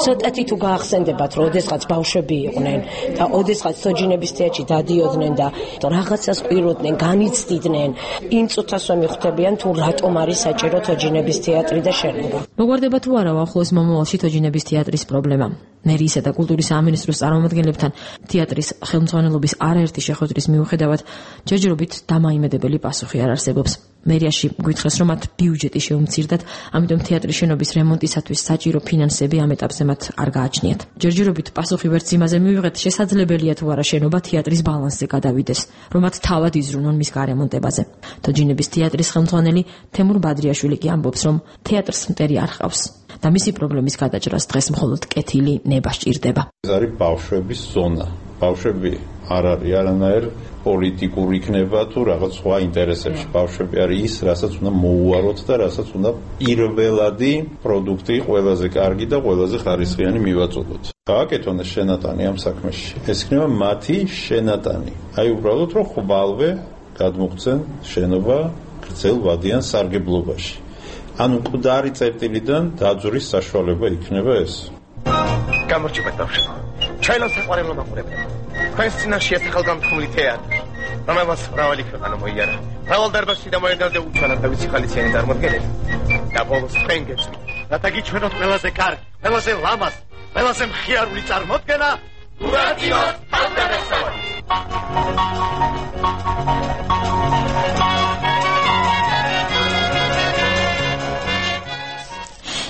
ცოტათი თუ გაახსენდებათ, რომ ოდესღაც ბავშვები იყვნენ და ოდესღაც თოჯინების თეატრში დადიოდნენ და რაღაცას ყვიროდნენ, განიცდიდნენ, იმ წუთას რომ მიხვდებიან თუ რატომ არის საჭირო თოჯინების თეატრი და შენობა. მოგვარდება თუ არა ახლოს მომავალში თოჯინების თეატრის პრობლემა. მერიისა და კულტურის სამინისტროს წარმომადგენლებთან თეატრის ხელმძღვანელობის არაერთი შეხვედრის მიუხედავად ჯერჯერობით დამაიმედებელი პასუხი არ არსებობს. მერიაში გვითხრეს, რომ მათ ბიუჯეტი შეუმცირდათ, ამიტომ თეატრის შენობის რემონტისათვის საჭირო ფინანსები ამ ეტაპზე მათ არ გააჩნიათ. ჯერჯერობით პასუხი ვერც იმაზე მივიღეთ, შესაძლებელია თუ არა შენობა თეატრის ბალანსზე გადავიდეს, რომ მათ თავად იზრუნონ მის გარემონტებაზე. თოჯინების თეატრის ხელმძღვანელი თემურ ბადრიაშვილი კი ამბობს, რომ თეატრს მტერი არ ჰყავს და მისი პრობლემის გადაჭრას დღეს მხოლოდ კეთილი ნება სჭირდება. ეს არის ბავშვების ზონა. ბავშვები არ არის არანაირ პოლიტიკური იქნება თუ რაღაც სხვა ინტერესებში. ბავშვები არის ის, რასაც უნდა მოუაროთ და რასაც უნდა პირველადი პროდუქტი, ყველაზე კარგი და ყველაზე ხარისხიანი მივაწოდოთ. გააკეთონ ეს შენატანი ამ საქმეში. ეს იქნება მათი შენატანი. აი უბრალოდ რომ ხვალვე გადმოღწენ შენობა გრძელ ვადიან სარგებლობაში. ანუ მკვდარი წერტილიდან დაძვრის საშუალება იქნება ეს. გამორჩებათ ბავშვებო. ჩვენო საყვარელო მაყურებელო. თქვენს წინაშეა სახელგანთქმული თეატრი, რომელმაც მრავალი ქვეყანა მოიარა. მრავალ დარბაზში დამოუკიდებლად უჩვენოთ და ვიცი ხალისიანი წარმოდგენები. და ბოლოს თქვენ გეცნით, რათა გიჩვენოთ ყველაზე კარგი, ყველაზე ლამაზი, ყველაზე მხიარული წარმოდგენა ურატიოს თავდასავალი.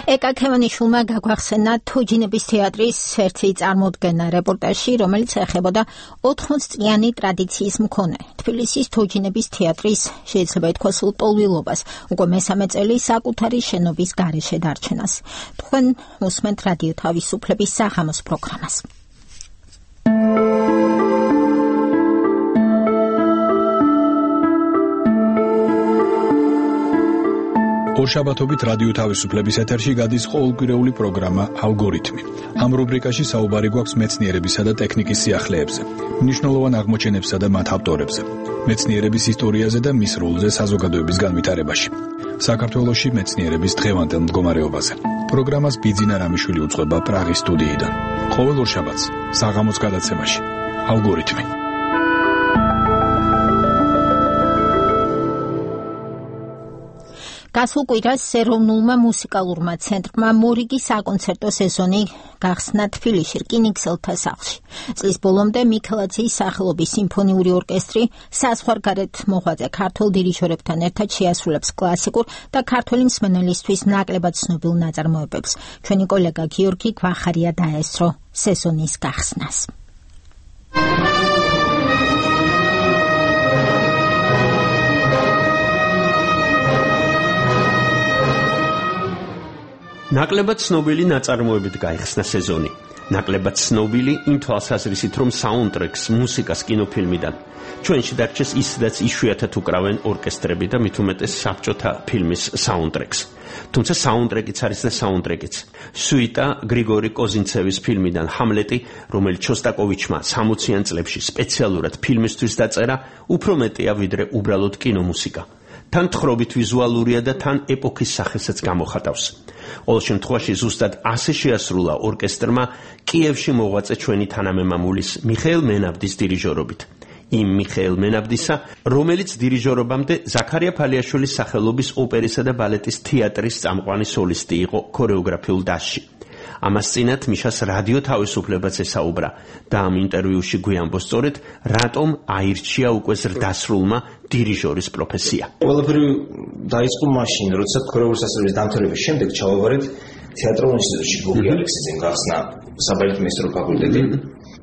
ეკა ქემანიშვილმა გაგვახსენა თოჯინების თეატრის ერთი წარმოდგენა რეპორტაჟში, რომელიც ეხებოდა ოთხმოც წლიანი ტრადიციის მქონე თბილისის თოჯინების თეატრის, შეიძლება ითქვას, ლტოლვილობას, უკვე მესამე წელი საკუთარი შენობის გარეშე დარჩენას. თქვენ უსმენთ რადიო თავისუფლების საღამოს პროგრამას. ორშაბათობით რადიო თავისუფლების ეთერში გადის ყოველკვირეული პროგრამა ალგორითმი. ამ რუბრიკაში საუბარი გვაქვს მეცნიერებისა და ტექნიკის სიახლეებზე, მნიშვნელოვან აღმოჩენებსა და მათ ავტორებზე, მეცნიერების ისტორიაზე და მის როლზე საზოგადოების განვითარებაში. საქართველოში მეცნიერების დღევანდელ მდგომარეობაზე. პროგრამას ბიძინა რამიშვილი უძღვება პრაღის სტუდიიდან. ყოველ ორშაბათს საღამოს გადაცემაში ალგორითმი. გასულ კვირას ეროვნულმა მუსიკალურმა ცენტრმა მორიგი საკონცერტო სეზონი გახსნა თბილისში რკინიგზელთა სახლში. წლის ბოლომდე მიქელაძის სახელობის სიმფონიური ორკესტრი საზღვარგარეთ მოღვაწე ქართველ დირიჟორებთან ერთად შეასრულებს კლასიკურ და ქართველი მსმენელისთვის ნაკლებად ცნობილ ნაწარმოებებს. ჩვენი კოლეგა გიორგი გვახარია დაესწრო სეზონის გახსნას. ნაკლებად ცნობილი ნაწარმოებით გაიხსნა სეზონი. ნაკლებად ცნობილი იმ თვალსაზრისით, რომ საუნდტრეკს, მუსიკას კინოფილმიდან ჩვენში დარჩეს ისედაც იშვიათად უკრავენ ორკესტრები და მით უმეტეს საბჭოთა ფილმის საუნდტრეკს. თუმცა საუნდტრეკიც არის და საუნდტრეკიც. სუიტა გრიგორი კოზინცევის ფილმიდან ჰამლეტი, რომელიც შოსტაკოვიჩმა სამოციან წლებში სპეციალურად ფილმისთვის დაწერა, უფრო მეტია ვიდრე უბრალოდ კინომუსიკა. თან თხრობით ვიზუალურია და თან ეპოქის სახელსაც გამოხატავს. ყოველ შემთხვევაში ზუსტად ასე შეასრულა ორკესტრმა კიევში მოღვაწე ჩვენი თანამემამულის მიხეილ მენაბდის დირიჟორობით. იმ მიხეილ მენაბდისა, რომელიც დირიჟორობამდე ზაქარია ფალიაშვილის სახელობის ოპერისა და ბალეტის თეატრის წამყვანი სოლისტი იყო ქორეოგრაფიულ დასში. ამას წინათ მიშას რადიო თავისუფლებაც ესაუბრა და ამ ინტერვიუში გვიამბობს სწორედ რატომ აირჩია უკვე ზრდასრულმა დირიჟორის პროფესია. ყველაფერი დაიწყო მაშინ, როცა ქორეოგრაფიის სასწავლებლის დამთავრების შემდეგ ჩავაბარეთ თეატრალურ ინსტიტუტში გოგი ალექსიძემ გახსნა საბალეტო მეისტრო ფაკულტეტი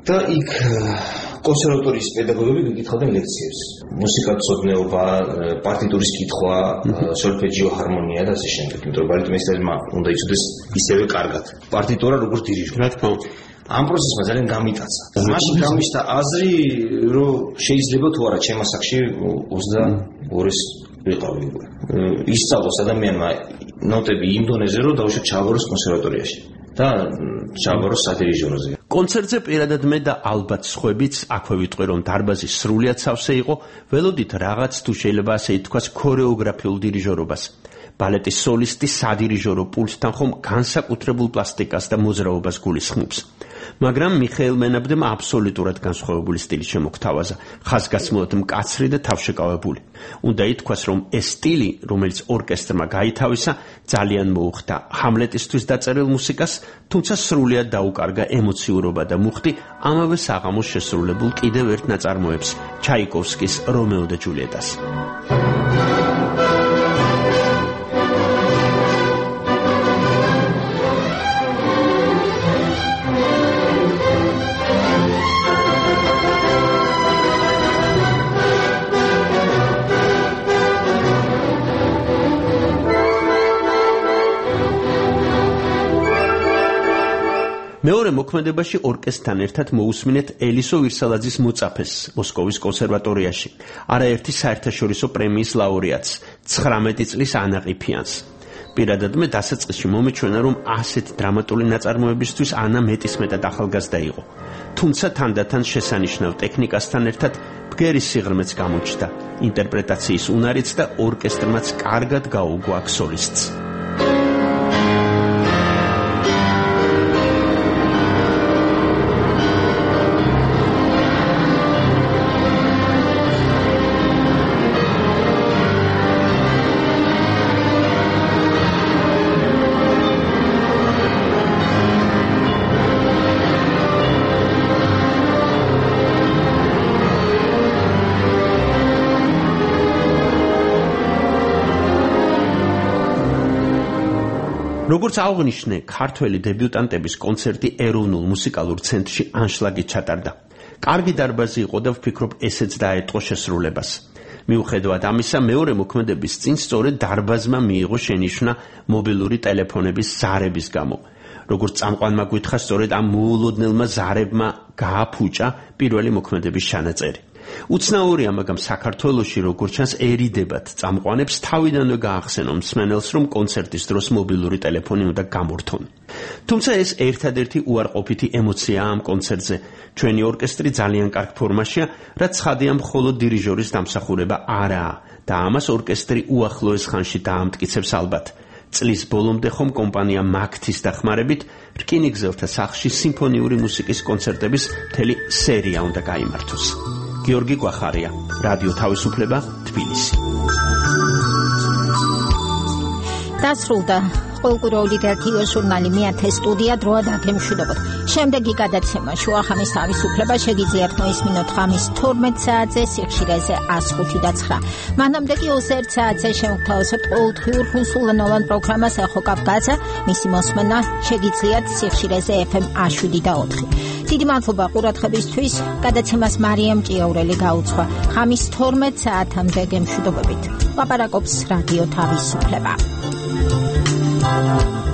და იქ კონსერვატორიის პედაგოგები გიკითხავდნენ ლექციებს. მუსიკათმცოდნეობა, პარტიტურის კითხვა, სოლფეჯიო, ჰარმონია და ასე შემდეგ. იმიტომ რომ ბალეტო მეისტერმა უნდა იცოდეს ისევე კარგად პარტიტურა როგორც დირიჟორი. რა თქმა უნდა. ამ პროცესმა ძალიან გამიტაცა. მაშინ გამიშთა აზრი, რომ შეიძლება თუ არა ჩემს ასაკში ოცდაორის ვიყავი. ისწავლოს ადამიანმა ნოტები იმ დონეზე, რომ დაუშვათ ჩააბაროს კონსერვატორიაში და ჩააბაროს სადირიჟოროზე. კონცერტზე პირადად მე და ალბათ სხვებიც აქვე ვიტყვი, რომ დარბაზი სრულიად სავსე იყო, ველოდით რაღაც თუ შეიძლება ასე ითქვას ქორეოგრაფიულ დირიჟორობას. ბალეტის სოლისტი სადირიჟორო პულტთან ხომ განსაკუთრებულ პლასტიკას და მოძრაობას გულისხმობს. მაგრამ მიხეილ მენაბდემ აბსოლუტურად განსხვავებული სტილი შემოგთავაზა, ხაზგასმულად მკაცრი და თავშეკავებული. უნდა ითქვას, რომ ეს სტილი, რომელიც ორკესტრმა გაითავისა, ძალიან მოუხდა ჰამლეტისთვის დაწერილ მუსიკას, თუმცა სრულიად დაუკარგა ემოციურობა და მუხტი ამავე საღამოს შესრულებულ კიდევ ერთ ნაწარმოებს, ჩაიკოვსკის რომეო და ჯულიეტას. მეორე მოქმედებაში ორკესტრთან ერთად მოусმინეთ ელისო ვირსალაძის მოწაფეს მოსკოვის კონსერვატორიაში, არაერთი საერთაშორისო პრემიის ლაურეატს, ცხრამეტი წლის ანაყიფიანს. პირადად მე დასაწყისში მომეჩვენა, რომ ასეთი დრამატული ნაწარმოებისთვის ანა მეტისმეტად ახალგაზრდა იყო. თუმცა თანდათან შესანიშნავ ტექნიკასთან ერთად ბგერის სიღრმეც გამოჩნდა, ინტერპრეტაციის უნარიც და ორკესტრმაც კარგად გაუგო აქ სოლისტს. როგორც აღნიშნე, ქართველი დებიუტანტების კონცერტი ეროვნულ მუსიკალურ ცენტრში ანშლაგით ჩატარდა. კარგი დარბაზი იყო და ვფიქრობ, ესეც დაეტყო შესრულებას. მიუხედავად ამისა, მეორე მოქმედების წინ სწორედ დარბაზმა მიიღო შენიშვნა მობილური ტელეფონების ზარების გამო. როგორც წამყვანმა გითხრა, სწორედ ამ მოულოდნელმა ზარებმა გააფუჭა პირველი მოქმედების ჩანაწერი. უცნაურია, მაგრამ საქართველოში როგორც ჩანს ერიდებათ წამყვანებს თავიდანვე გაახსენონ მსმენელს, რომ კონცერტის დროს მობილური ტელეფონი უნდა გამორთონ. თუმცა ეს ერთადერთი უარყოფითი ემოციაა ამ კონცერტზე. ჩვენი ორკესტრი ძალიან კარგ ფორმაშია, რაც ცხადია მხოლოდ დირიჟორის დამსახურება არაა და ამას ორკესტრი უახლოეს ხანში დაამტკიცებს ალბათ. წლის ბოლომდე ხომ კომპანია მაგთის დახმარებით რკინიგზელთა სახლში სიმფონიური მუსიკის კონცერტების მთელი სერია უნდა გაიმართოს. გიორგი გვახარია, რადიო თავისუფლება, თბილისი. დასრულდა ყოველკვირეული რადიო ჟურნალი მეათე სტუდია დროა დაგემშვიდობოთ. შემდეგი გადაცემა შუახამის თავისუფლება შეგიძლიათ მოისმინოთ ღამის თორმეტ საათზე სიხშირეზე ას ხუთი და ცხრა. მანამდე კი ოცი ერთ საათზე შემოგთავაზებთ ყოველდღიურ რუსულენოვან პროგრამას ეხო კავკაზა. მისი მოსმენა შეგიძლიათ სიხშირეზე ეფ ემ ას შვიდი და ოთხი. დიდი მადლობა ყურადღებისთვის. გადაცემას მარიამ ჭიაურელი გაუძღვა. ღამის თორმეტ საათამდე გემშვიდობებით. ლაპარაკობს რადიო თავისუფლება. Thank you.